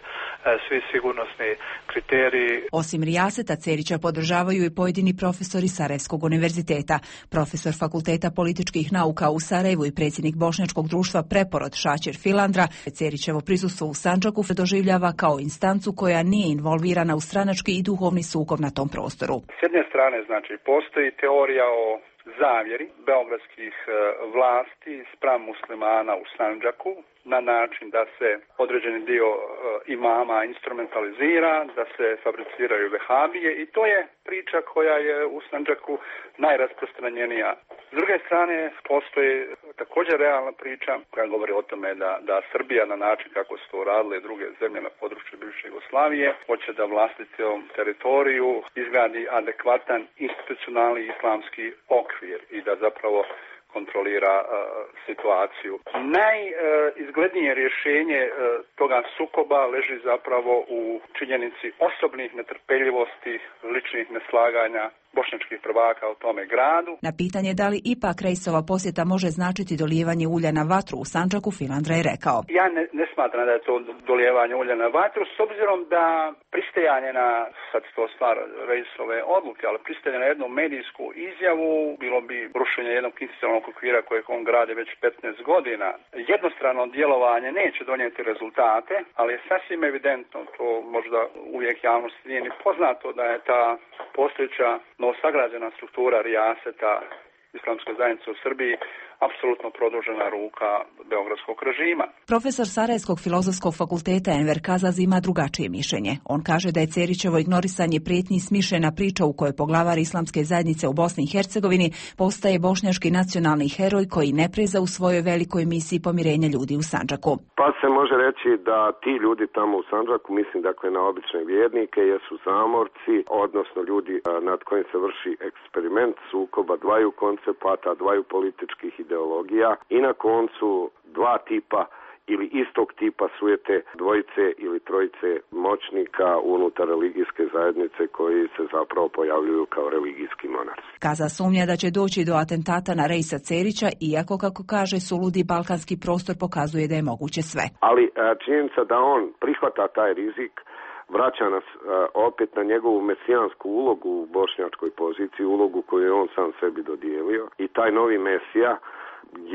svi sigurnosni kriteriji. Osim Rijaseta, Cerića podržavaju i pojedini profesori Sarajevskog univerziteta. Profesor Fakulteta političkih nauka u Sarajevu i predsjednik Bošnjačkog društva Preporod Šačer Filandra Cerićevo prisustvo u Sandžaku doživljava kao instancu koja nije involvirana u stranački i duhovni sukob na tom prostoru. S jedne strane, znači, postoji teorija o zavjeri beogradskih vlasti spram muslimana u Sandžaku na način da se određeni dio imama instrumentalizira, da se fabriciraju vehabije i to je priča koja je u Sandžaku najrasprostranjenija. S druge strane, postoji također realna priča koja govori o tome da, da Srbija na način kako su to radile druge zemlje na području bivše Jugoslavije hoće da vlastitom teritoriju izgradi adekvatan institucionalni islamski okvir i da zapravo kontrolira uh, situaciju. Najizglednije uh, rješenje uh, toga sukoba leži zapravo u činjenici osobnih netrpeljivosti, ličnih neslaganja bošnjačkih prvaka u tome gradu. Na pitanje da li ipak Reisova posjeta može značiti dolijevanje ulja na vatru u Sandžaku, Filandra je rekao. Ja ne, ne smatram da je to dolijevanje ulja na vatru, s obzirom da pristajanje na, sad to stvar Reisove odluke, ali pristajanje na jednu medijsku izjavu bilo bi rušenje jednog institucionalnog okvira kojeg on gradi već petnaest godina. Jednostrano djelovanje neće donijeti rezultate, ali je sasvim evidentno, to možda uvijek javnosti nije ni poznato, da je ta postojeća novosagrađena struktura rijaseta Islamske zajednice u Srbiji apsolutno produžena ruka beogradskog režima. Profesor Sarajevskog filozofskog fakulteta Enver Kazaz ima drugačije mišljenje. On kaže da je Cerićevo ignorisanje prijetnji smišljena priča u kojoj poglavar Islamske zajednice u Bosni i Hercegovini postaje bošnjački nacionalni heroj koji ne preza u svojoj velikoj misiji pomirenja ljudi u Sandžaku. Pa se može reći da ti ljudi tamo u Sandžaku, mislim dakle na obične vjernike, jesu zamorci, odnosno ljudi nad kojim se vrši eksperiment sukoba dvaju koncepata, dvaju političkih ideologija i na koncu dva tipa ili istog tipa sujete dvojice ili trojice moćnika unutar religijske zajednice koji se zapravo pojavljuju kao religijski monarsi. Kaza sumnja da će doći do atentata na Reisa Cerića, iako, kako kaže, suludi balkanski prostor pokazuje da je moguće sve. Ali činjenica da on prihvata taj rizik vraća nas a, opet na njegovu mesijansku ulogu u bošnjačkoj poziciji, ulogu koju je on sam sebi dodijelio, i taj novi mesija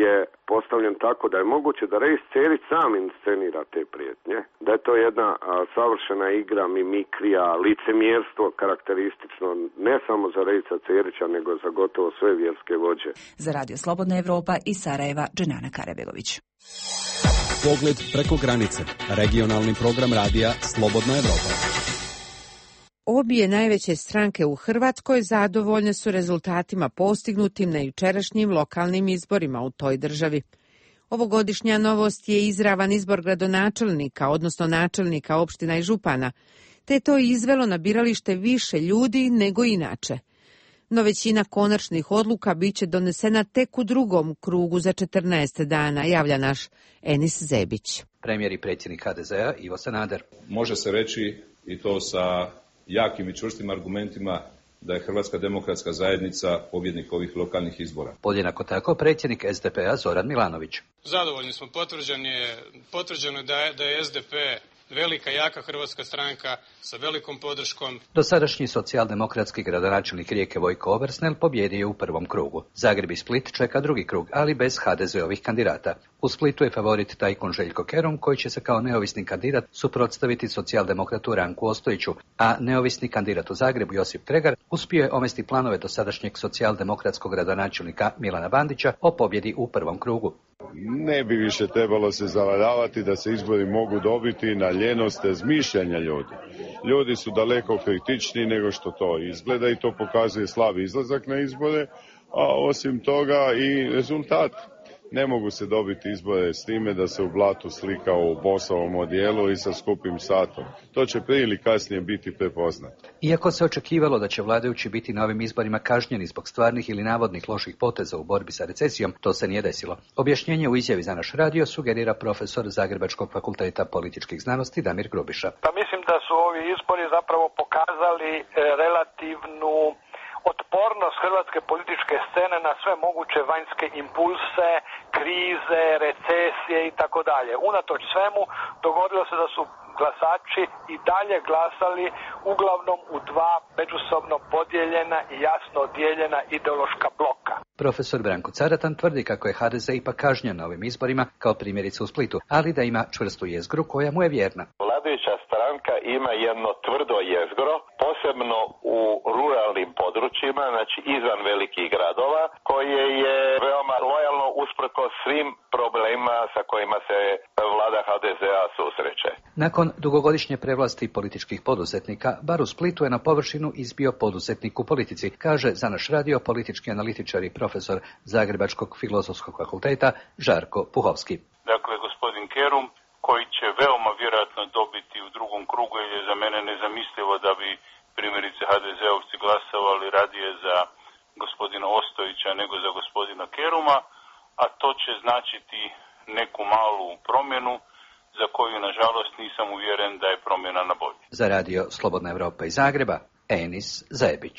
je postavljen tako da je moguće da Reis Cerić sam inscenira te prijetnje, da je to jedna a, savršena igra, mimikrija, licemjerstvo karakteristično ne samo za Reisa Cerića, nego za gotovo sve vjerske vođe. Za Radio Slobodna Evropa iz Sarajeva, Dženana Karabegović. Pogled preko granice. Regionalni program radija Slobodna Evropa. Obje najveće stranke u Hrvatskoj zadovoljne su rezultatima postignutim na jučerašnjim lokalnim izborima u toj državi. Ovogodišnja novost je izravan izbor gradonačelnika, odnosno načelnika opština i župana, te je to izvelo na biralište više ljudi nego inače. No većina konačnih odluka biće donesena tek u drugom krugu za četrnaest dana, javlja naš Enis Zebić. Premijer i predsjednik ha de zea Ivo Sanader. Može se reći, i to sa jakim i čvrstim argumentima, da je Hrvatska demokratska zajednica pobjednik ovih lokalnih izbora. Podjednako tako predsjednik es de pe a Zoran Milanović. Zadovoljni smo, potvrđen je, potvrđeno je da je, da je es de pe velika, jaka hrvatska stranka sa velikom podrškom. Dosadašnji socijaldemokratski gradonačelnik Rijeke Vojko Obersnel pobjedio je u prvom krugu. Zagreb i Split čeka drugi krug, ali bez ha de zeovih kandidata. U Splitu je favorit tajkun Željko Kerum, koji će se kao neovisni kandidat suprotstaviti socijaldemokratu Ranku Ostojiću, a neovisni kandidat u Zagrebu Josip Kregar uspio je omesti planove dosadašnjeg socijaldemokratskog gradonačelnika Milana Bandića o pobjedi u prvom krugu. Ne bi više trebalo se zavaravati da se izbori mogu dobiti na ljenost zmišljanja ljudi. Ljudi su daleko kritičniji nego što to izgleda i to pokazuje slab izlazak na izbore, a osim toga i rezultat. Ne mogu se dobiti izbore s time da se u blatu slika u bosovom odijelu i sa skupim satom. To će prije ili kasnije biti prepoznato. Iako se očekivalo da će vladajući biti na ovim izborima kažnjeni zbog stvarnih ili navodnih loših poteza u borbi sa recesijom, to se nije desilo. Objašnjenje u izjavi za naš radio sugerira profesor Zagrebačkog fakulteta političkih znanosti Damir Grubiša. Pa mislim da su ovi izbori zapravo pokazali e, relativnu otpornost hrvatske političke scene na sve moguće vanjske impulse, krize, recesije i tako dalje. Unatoč svemu dogodilo se da su glasači i dalje glasali uglavnom u dva međusobno podijeljena i jasno odijeljena ideološka bloka. Profesor Branko Caratan tvrdi kako je ha de ze ipak kažnjen na ovim izborima, kao primjerice u Splitu, ali da ima čvrstu jezgru koja mu je vjerna. Vladajuća stranka ima jedno tvrdo jezgro, posebno u ruralnim područjima, znači izvan velikih gradova, koje je veoma lojalno usprko svim problemima sa kojima se vlada ha de zea susreće. Nakon dugogodišnje prevlasti političkih poduzetnika, bar u Splitu je na površinu izbio poduzetnik u politici, kaže za naš radio politički analitičar i profesor Zagrebačkog filozofskog fakulteta Žarko Puhovski. Dakle, gospodin Kerum, koji će veoma vjerojatno dobiti u drugom krugu, jer je za mene nezamislivo da bi primjerice ha de zeovci glasovali radije za gospodina Ostojića nego za gospodina Keruma, a to će značiti neku malu promjenu za koju, nažalost, nisam uvjeren da je promjena na bolje. Za radio Slobodna Evropa iz Zagreba, Enis Zebić.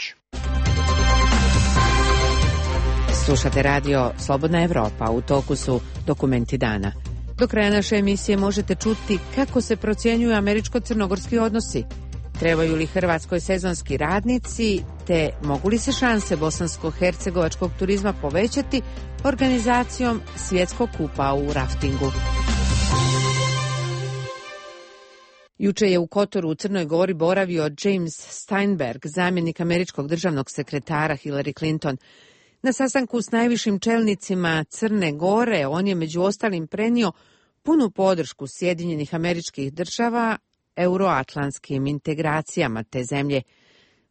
Slušate radio Slobodna Evropa, u toku su dokumenti dana. Do kraja naše emisije možete čuti kako se procjenjuju američko-crnogorski odnosi, trebaju li Hrvatskoj sezonski radnici, te mogu li se šanse bosansko-hercegovačkog turizma povećati organizacijom svjetskog kupa u raftingu. Juče je u Kotoru u Crnoj Gori boravio James Steinberg, zamjenik američkog državnog sekretara Hillary Clinton. Na sastanku s najvišim čelnicima Crne Gore on je među ostalim prenio punu podršku Sjedinjenih Američkih Država euroatlantskim integracijama te zemlje.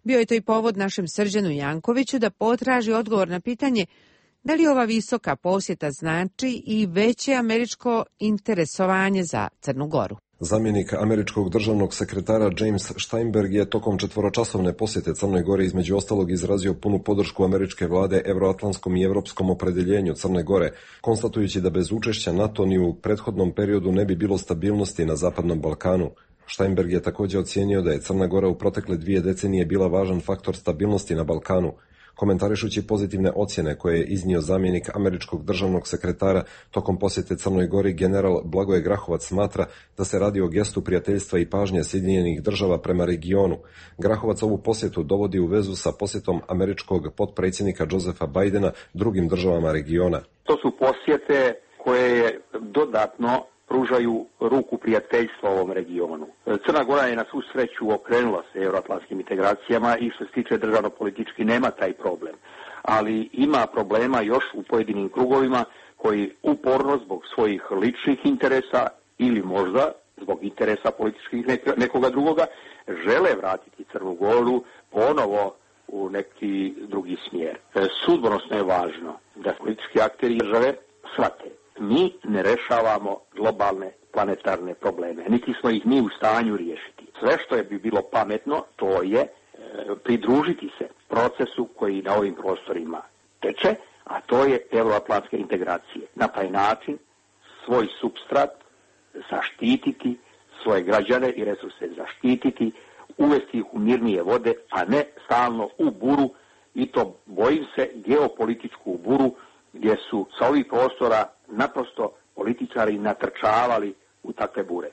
Bio je to i povod našem Srđanu Jankoviću da potraži odgovor na pitanje da li ova visoka posjeta znači i veće američko interesovanje za Crnu Goru. Zamjenik američkog državnog sekretara James Steinberg je tokom četvoročasovne posjete Crnoj Gori između ostalog izrazio punu podršku američke vlade euroatlantskom i europskom opredeljenju Crne Gore, konstatujući da bez učešća NATO ni u prethodnom periodu ne bi bilo stabilnosti na Zapadnom Balkanu. Steinberg je također ocijenio da je Crna Gora u protekle dvije decenije bila važan faktor stabilnosti na Balkanu. Komentarišući pozitivne ocjene koje je iznio zamjenik američkog državnog sekretara tokom posjete Crnoj Gori, general Blagoje Grahovac smatra da se radi o gestu prijateljstva i pažnje Sjedinjenih Država prema regionu. Grahovac ovu posjetu dovodi u vezu sa posjetom američkog potpredsjednika Josepha Bidena drugim državama regiona. To su posjete koje dodatno pružaju ruku prijateljstva ovom regionu. Crna Gora je na svu sreću okrenula se euroatlantskim integracijama i što se tiče državno-politički nema taj problem. Ali ima problema još u pojedinim krugovima koji uporno zbog svojih ličnih interesa ili možda zbog interesa političkih nekoga drugoga žele vratiti Crnu Goru ponovo u neki drugi smjer. Sudbonosno je važno da politički akteri države shvate. Mi ne rešavamo globalne planetarne probleme, niti smo ih mi u stanju riješiti. Sve što je bi bilo pametno, to je e, pridružiti se procesu koji na ovim prostorima teče, a to je euroatlantske integracije. Na taj način svoj supstrat zaštititi, svoje građane i resurse zaštititi, uvesti ih u mirnije vode, a ne stalno u buru, i to bojim se geopolitičku buru gdje su sa ovih prostora naprosto političari natrčavali u takve bure.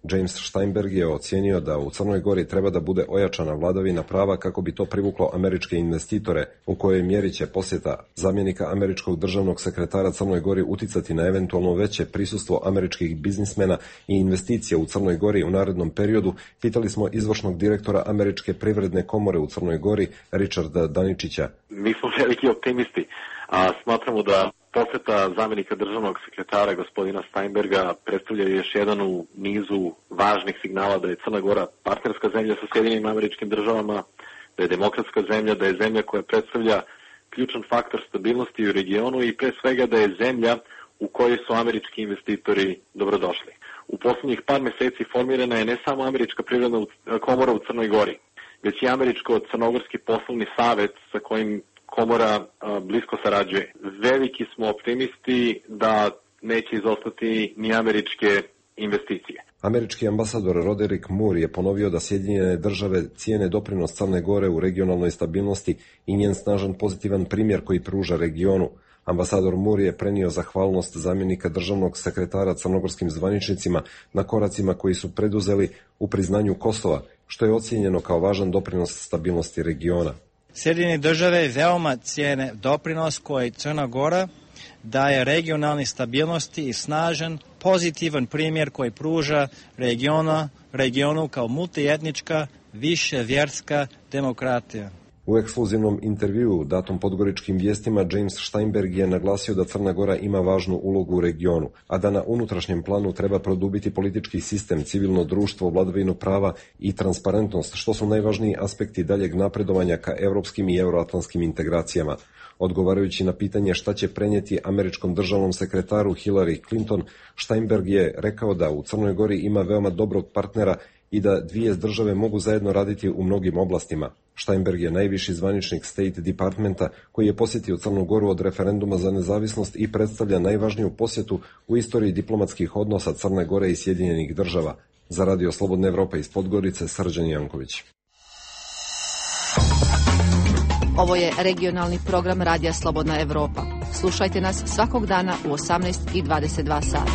James Steinberg je ocijenio da u Crnoj Gori treba da bude ojačana vladavina prava kako bi to privuklo američke investitore, u kojoj mjeri će posjeta zamjenika američkog državnog sekretara Crnoj Gori uticati na eventualno veće prisustvo američkih biznismena i investicija u Crnoj Gori u narednom periodu, pitali smo izvršnog direktora Američke privredne komore u Crnoj Gori, Richarda Daničića. Mi smo veliki optimisti, a smatramo da posjeta zamjenika državnog sekretara gospodina Steinberga predstavlja još jedan u nizu važnih signala da je Crna Gora partnerska zemlja sa Sjedinjenim Američkim Državama, da je demokratska zemlja, da je zemlja koja predstavlja ključan faktor stabilnosti u regionu i pre svega da je zemlja u kojoj su američki investitori dobrodošli. U posljednjih par mjeseci formirana je ne samo Američka privredna komora u Crnoj Gori, već i Američko-Crnogorski poslovni savjet sa kojim komora a, blisko sarađuje. Veliki smo optimisti da neće izostati ni američke investicije. Američki ambasador Roderick Moore je ponovio da Sjedinjene Države cijene doprinos Crne Gore u regionalnoj stabilnosti i njen snažan pozitivan primjer koji pruža regionu. Ambasador Moore je prenio zahvalnost zamjenika državnog sekretara crnogorskim zvaničnicima na koracima koji su preduzeli u priznanju Kosova, što je ocijenjeno kao važan doprinos stabilnosti regiona. Sjedinjene Države veoma cijene doprinos koji Crna Gora daje regionalnoj stabilnosti i snažan, pozitivan primjer koji pruža regiona, regionu kao multietnička, viševjerska demokratija. U ekskluzivnom intervjuu datom Podgoričkim vijestima James Steinberg je naglasio da Crna Gora ima važnu ulogu u regionu, a da na unutrašnjem planu treba produbiti politički sistem, civilno društvo, vladavinu prava i transparentnost, što su najvažniji aspekti daljeg napredovanja ka europskim i euroatlantskim integracijama. Odgovarajući na pitanje šta će prenijeti američkom državnom sekretaru Hillary Clinton, Steinberg je rekao da u Crnoj Gori ima veoma dobrog partnera i da dvije države mogu zajedno raditi u mnogim oblastima. Steinberg je najviši zvaničnik State Departmenta koji je posjetio Crnu Goru od referenduma za nezavisnost i predstavlja najvažniju posjetu u istoriji diplomatskih odnosa Crne Gore i Sjedinjenih Država. Za Radio Slobodna Evropa iz Podgorice, Srđan Janković. Ovo je regionalni program Radija Slobodna Evropa. Slušajte nas svakog dana u osamnaest i dvadeset dva sata.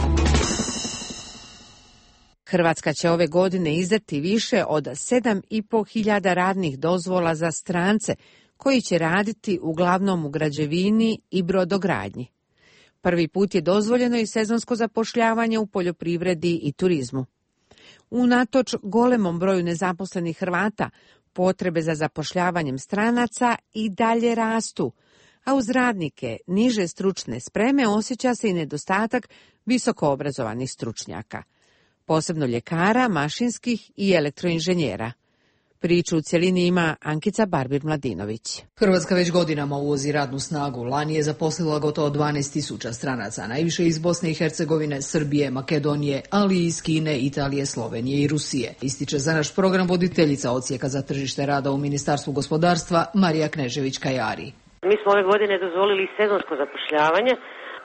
Hrvatska će ove godine izdati više od sedam i po hiljada radnih dozvola za strance koji će raditi uglavnom u građevini i brodogradnji. Prvi put je dozvoljeno i sezonsko zapošljavanje u poljoprivredi i turizmu. Unatoč golemom broju nezaposlenih Hrvata, potrebe za zapošljavanjem stranaca i dalje rastu, a uz radnike niže stručne spreme osjeća se i nedostatak visokoobrazovanih stručnjaka, posebno ljekara, mašinskih i elektroinženjera. Priču u cjelini ima Ankica Barbir-Mladinović. Hrvatska već godinama uvozi radnu snagu. Lani je zaposlila gotovo dvanaest tisuća stranaca, najviše iz Bosne i Hercegovine, Srbije, Makedonije, ali i iz Kine, Italije, Slovenije i Rusije. Ističe za naš program voditeljica odsjeka za tržište rada u Ministarstvu gospodarstva Marija Knežević-Kajari. Mi smo ove godine dozvolili sezonsko zapošljavanje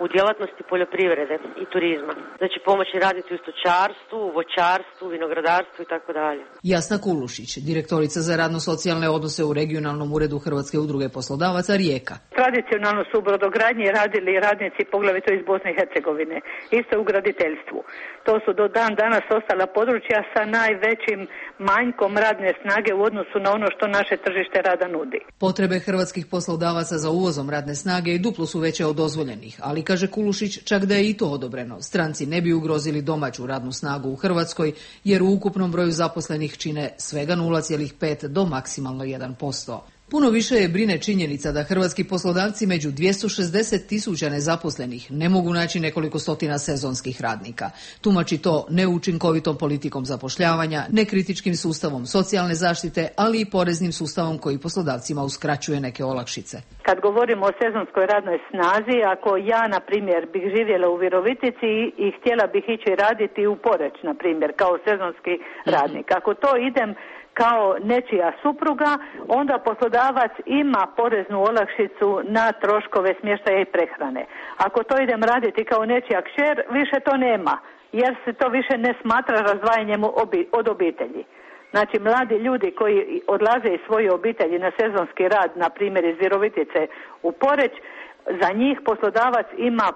u djelatnosti poljoprivrede i turizma. Znači pomoćni radnici u stočarstvu, voćarstvu, vinogradarstvu i tako dalje. Jasna Kulušić, direktorica za radno-socijalne odnose u regionalnom uredu Hrvatske udruge poslodavaca Rijeka. Tradicionalno su u brodogradnji radili radnici poglavito iz Bosne i Hercegovine, isto u graditeljstvu. To su do dan danas ostala područja sa najvećim manjkom radne snage u odnosu na ono što naše tržište rada nudi. Potrebe hrvatskih poslodavaca za uvozom radne snage i duplo su veće od dozvoljenih, ali kaže Kulušić, čak da je i to odobreno, stranci ne bi ugrozili domaću radnu snagu u Hrvatskoj, jer u ukupnom broju zaposlenih čine svega nula zarez pet do maksimalno jedan posto. Puno više je brine činjenica da hrvatski poslodavci među dvjesto šezdeset tisuća nezaposlenih ne mogu naći nekoliko stotina sezonskih radnika. Tumači to neučinkovitom politikom zapošljavanja, nekritičkim sustavom socijalne zaštite, ali i poreznim sustavom koji poslodavcima uskraćuje neke olakšice. Kad govorimo o sezonskoj radnoj snazi, ako ja, na primjer, bih živjela u Virovitici i htjela bih ići raditi u Poreč, na primjer, kao sezonski radnik. Ako to idem kao nečija supruga, onda poslodavac ima poreznu olakšicu na troškove smještaja i prehrane. Ako to idem raditi kao nečija kćer, više to nema, jer se to više ne smatra razdvajanjem od obitelji. Znači, mladi ljudi koji odlaze iz svoje obitelji na sezonski rad, na primjer iz Virovitice u Poreć, za njih poslodavac ima e,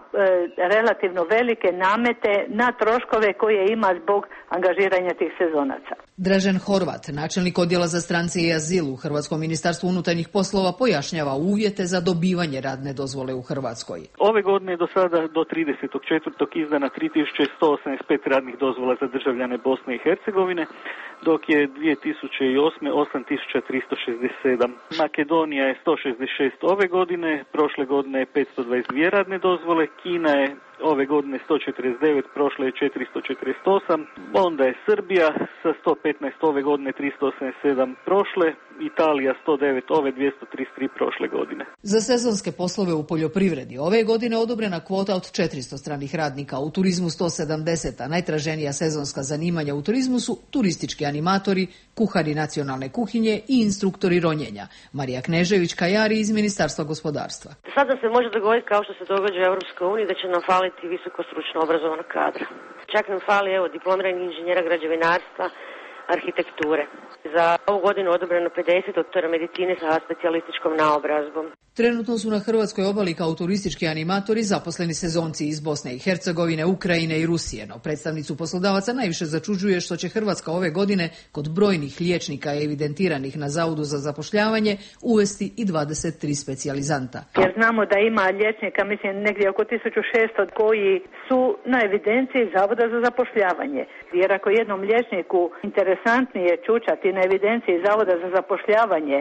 relativno velike namete na troškove koje ima zbog angažiranja tih sezonaca. Dražen Horvat, načelnik odjela za strance i azil u Hrvatskom ministarstvu unutarnjih poslova, pojašnjava uvjete za dobivanje radne dozvole u Hrvatskoj. Ove godine je do sada do tridesetog četvrtog izdana tri tisuće sto osamdeset pet radnih dozvola za državljane Bosne i Hercegovine, dok je dvije tisuće osme osam tisuća tristo šezdeset sedam. Makedonija je sto šezdeset šest ove godine, prošle godine je petsto dvadeset dvije radne dozvole, Kina je ove godine sto četrdeset devet, prošle je četiristo četrdeset osam, onda je Srbija sa sto petnaest ove godine, tristo osamdeset sedam prošle, Italija sto devet ove, dvjesto trideset tri prošle godine. Za sezonske poslove u poljoprivredi ove godine odobrena kvota od četiristo stranih radnika, u turizmu sto sedamdeset, a najtraženija sezonska zanimanja u turizmu su turistički animatori, kuhari nacionalne kuhinje i instruktori ronjenja. Marija Knežević-Kajari iz Ministarstva gospodarstva. Sada se može dogoditi, kao što se događa u Europskoj uniji, da će nam faliti visoko stručno obrazovanog kadra. Čak nam fali, evo, diplomiranih inženjera građevinarstva, arhitekture. Za ovu godinu odobreno pedeset doktora medicine sa specijalističkom naobrazbom. Trenutno su na hrvatskoj obali kao turistički animatori zaposleni sezonci iz Bosne i Hercegovine, Ukrajine i Rusije, no predstavnicu poslodavaca najviše začuđuje što će Hrvatska ove godine kod brojnih liječnika evidentiranih na Zavodu za zapošljavanje uvesti i dvadeset tri specijalizanta. Jer znamo da ima liječnika, mislim, negdje oko tisuću šesto koji su na evidenciji Zavoda za zapošljavanje. Jer ako jednom liječniku interesantnije čučati na evidenciji Zavoda za zapošljavanje,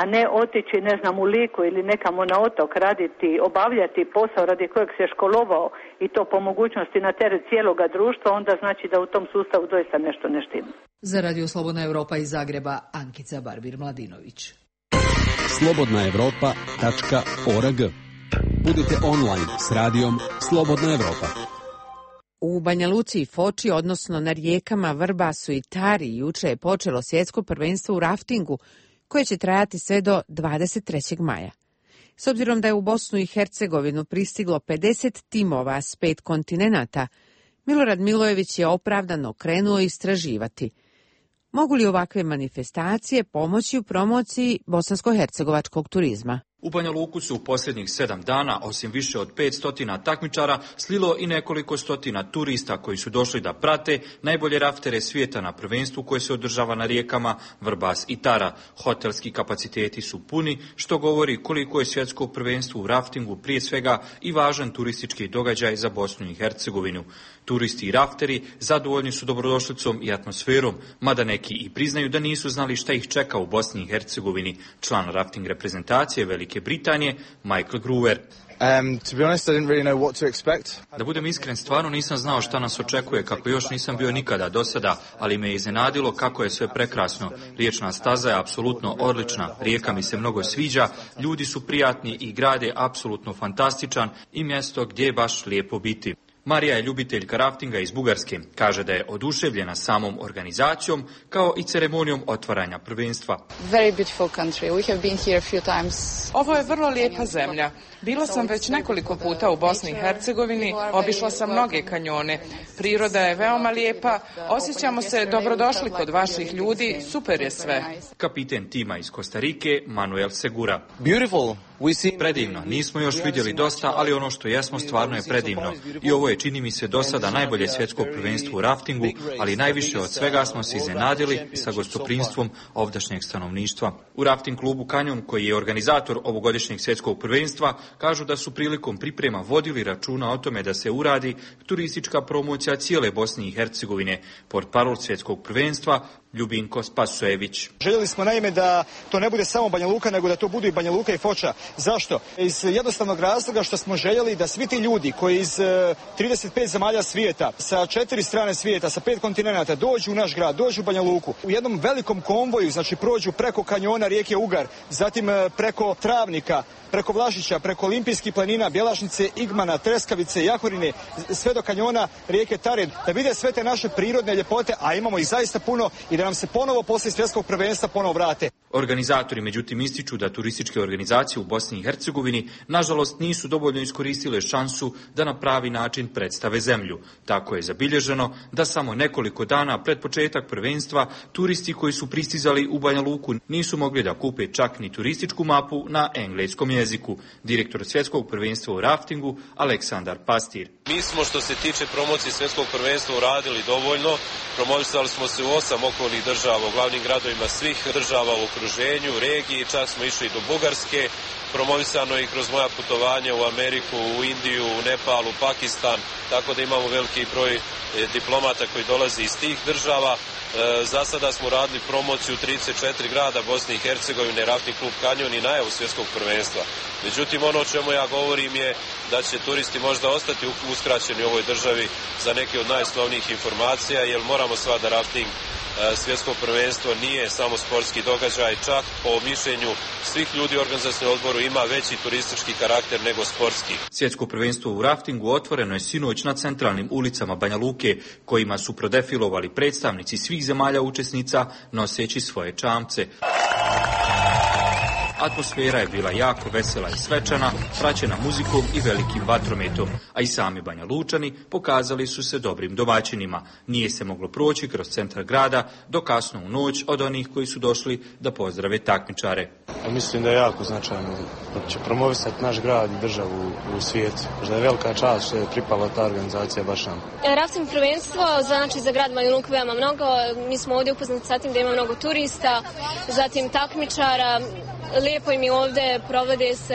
a ne otići, ne znam, u Liku ili nekamo na otok raditi, obavljati posao radi kojeg se školovao i to po mogućnosti na teret cijeloga društva, onda znači da u tom sustavu doista nešto ne štima. Za Radio Slobodna Evropa iz Zagreba, Ankica Barbir-Mladinović. slobodna evropa tačka org. Budite online s radijom Slobodna Evropa. U Banja Luci i Foči, odnosno na rijekama Vrbasu i Tari, juče je počelo svjetsko prvenstvo u raftingu, koje će trajati sve do dvadeset trećeg maja. S obzirom da je u Bosnu i Hercegovinu pristiglo pedeset timova s pet kontinenata, Milorad Milojević je opravdano krenuo istraživati. Mogu li ovakve manifestacije pomoći u promociji bosansko-hercegovačkog turizma? U Banja Luku su u posljednjih sedam dana, osim više od petsto takmičara, slilo i nekoliko stotina turista koji su došli da prate najbolje raftere svijeta na prvenstvu koje se održava na rijekama Vrbas i Tara. Hotelski kapaciteti su puni, što govori koliko je svjetsko prvenstvo u raftingu prije svega i važan turistički događaj za Bosnu i Hercegovinu. Turisti i rafteri zadovoljni su dobrodošlicom i atmosferom, mada neki i priznaju da nisu znali šta ih čeka u Bosni i Hercegovini. Član rafting reprezentacije Velike Britanije, Michael Gruver. Um, to be honest, I didn't really know what to expect. Da budem iskren, stvarno nisam znao šta nas očekuje, kako još nisam bio nikada do sada, ali me je iznenadilo kako je sve prekrasno. Riječna staza je apsolutno odlična, rijeka mi se mnogo sviđa, ljudi su prijatni i grad je apsolutno fantastičan i mjesto gdje je baš lijepo biti. Marija je ljubiteljka raftinga iz Bugarske. Kaže da je oduševljena samom organizacijom kao i ceremonijom otvaranja prvenstva. Very beautiful country. We have been here a few times. Ovo je vrlo lijepa zemlja. Bila sam već nekoliko puta u Bosni i Hercegovini, obišla sam mnoge kanjone. Priroda je veoma lijepa, osjećamo se dobrodošli kod vaših ljudi, super je sve. Kapiten tima iz Kostarike, Manuel Segura. Beautiful. Predivno, nismo još vidjeli dosta, ali ono što jesmo stvarno je predivno. I ovo je, čini mi se, do sada najbolje svjetsko prvenstvo u raftingu, ali najviše od svega smo se iznenadili sa gostoprimstvom ovdašnjeg stanovništva. U rafting klubu Kanjon, koji je organizator ovogodišnjeg svjetskog prvenstva, kažu da su prilikom priprema vodili računa o tome da se uradi turistička promocija cijele Bosne i Hercegovine. Portparol svjetskog prvenstva Ljubinko Spasojević. Željeli smo naime da to ne bude samo Banja Luka, nego da to budu i Banja Luka i Foča. Zašto? Iz jednostavnog razloga što smo željeli da svi ti ljudi koji iz trideset pet zemalja svijeta, sa četiri strane svijeta, sa pet kontinenata dođu u naš grad, dođu u Banja Luku, u jednom velikom konvoju, znači prođu preko kanjona rijeke Ugar, zatim preko Travnika, preko Vlašića, preko Olimpijskih planina, Bjelašnice, Igmana, Treskavice, Jahorine, sve do kanjona rijeke Tare, da vide sve te naše prirodne ljepote, a imamo ih zaista puno, i da nam se ponovo poslije svjetskog prvenstva ponovo vrate. Organizatori međutim ističu da turističke organizacije u Bosni i Hercegovini nažalost nisu dovoljno iskoristile šansu da na pravi način predstave zemlju. Tako je zabilježeno da samo nekoliko dana pred početak prvenstva turisti koji su pristizali u Banja Luku nisu mogli da kupe čak ni turističku mapu na engleskom jeziku. Direktor svjetskog prvenstva u raftingu Aleksandar Pastir. Mi smo što se tiče promocije svjetskog prvenstva uradili dovoljno. Promovisali smo se u osam okolnih država, u glavnim gradovima svih država u okruženju, regiji, čak smo išli do Bugarske, promovisano je i kroz moja putovanja u Ameriku, u Indiju, u Nepal, u Pakistan, tako da imamo veliki broj diplomata koji dolazi iz tih država. Za sada smo radili promociju u trideset četiri grada Bosne i Hercegovine, rafting klub Kanjon i najavu svjetskog prvenstva. Međutim, ono o čemu ja govorim je da će turisti možda ostati uskraćeni u ovoj državi za neke od najosnovnijih informacija, jer moramo sva da rafting svjetsko prvenstvo nije samo sportski događaj, čak po mišljenju svih ljudi u organizacijskom odboru ima veći turistički karakter nego sportski. Svjetsko prvenstvo u raftingu otvoreno je sinoć na centralnim ulicama Banja Luke, kojima su prodefilovali predstavnici svih zemalja učesnica noseći svoje čamce. Atmosfera je bila jako vesela i svečana, praćena muzikom i velikim vatrometom, a i sami Banja Lučani pokazali su se dobrim domaćinima. Nije se moglo proći kroz centar grada do kasno u noć od onih koji su došli da pozdrave takmičare. Mislim da je jako značajno da će promovisati naš grad i državu u svijetu. Da je velika čast što je pripala ta organizacija baš nam. Rafting prvenstvo znači za grad Banja Luku veoma mnogo. Mi smo ovdje upoznati sa tim da ima mnogo turista, zatim takmičara. Lijepo im je ovdje, provode se,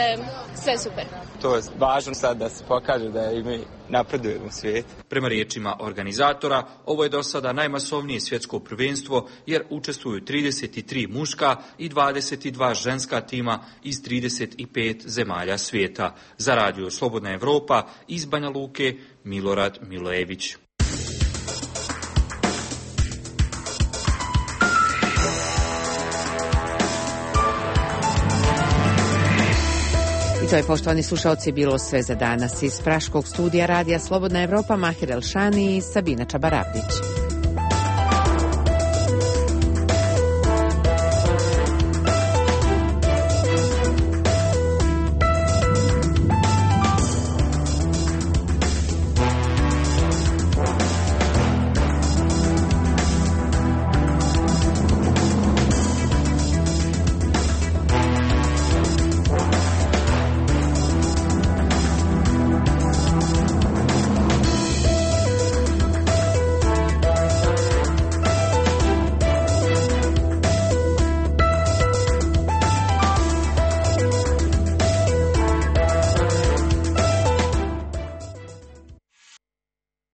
sve super. To je važno sad da se pokaže da i mi napredujemo u svijetu. Prema riječima organizatora, ovo je do sada najmasovnije svjetsko prvenstvo jer učestvuju trideset tri muška i dvadeset dva ženska tima iz trideset pet zemalja svijeta. Za radio Slobodna Evropa iz Banja Luke, Milorad Milojević. To je, poštovani slušalci, bilo sve za danas iz praškog studija radija Slobodna Evropa, Mahir Elšani i Sabina Čabarabdić.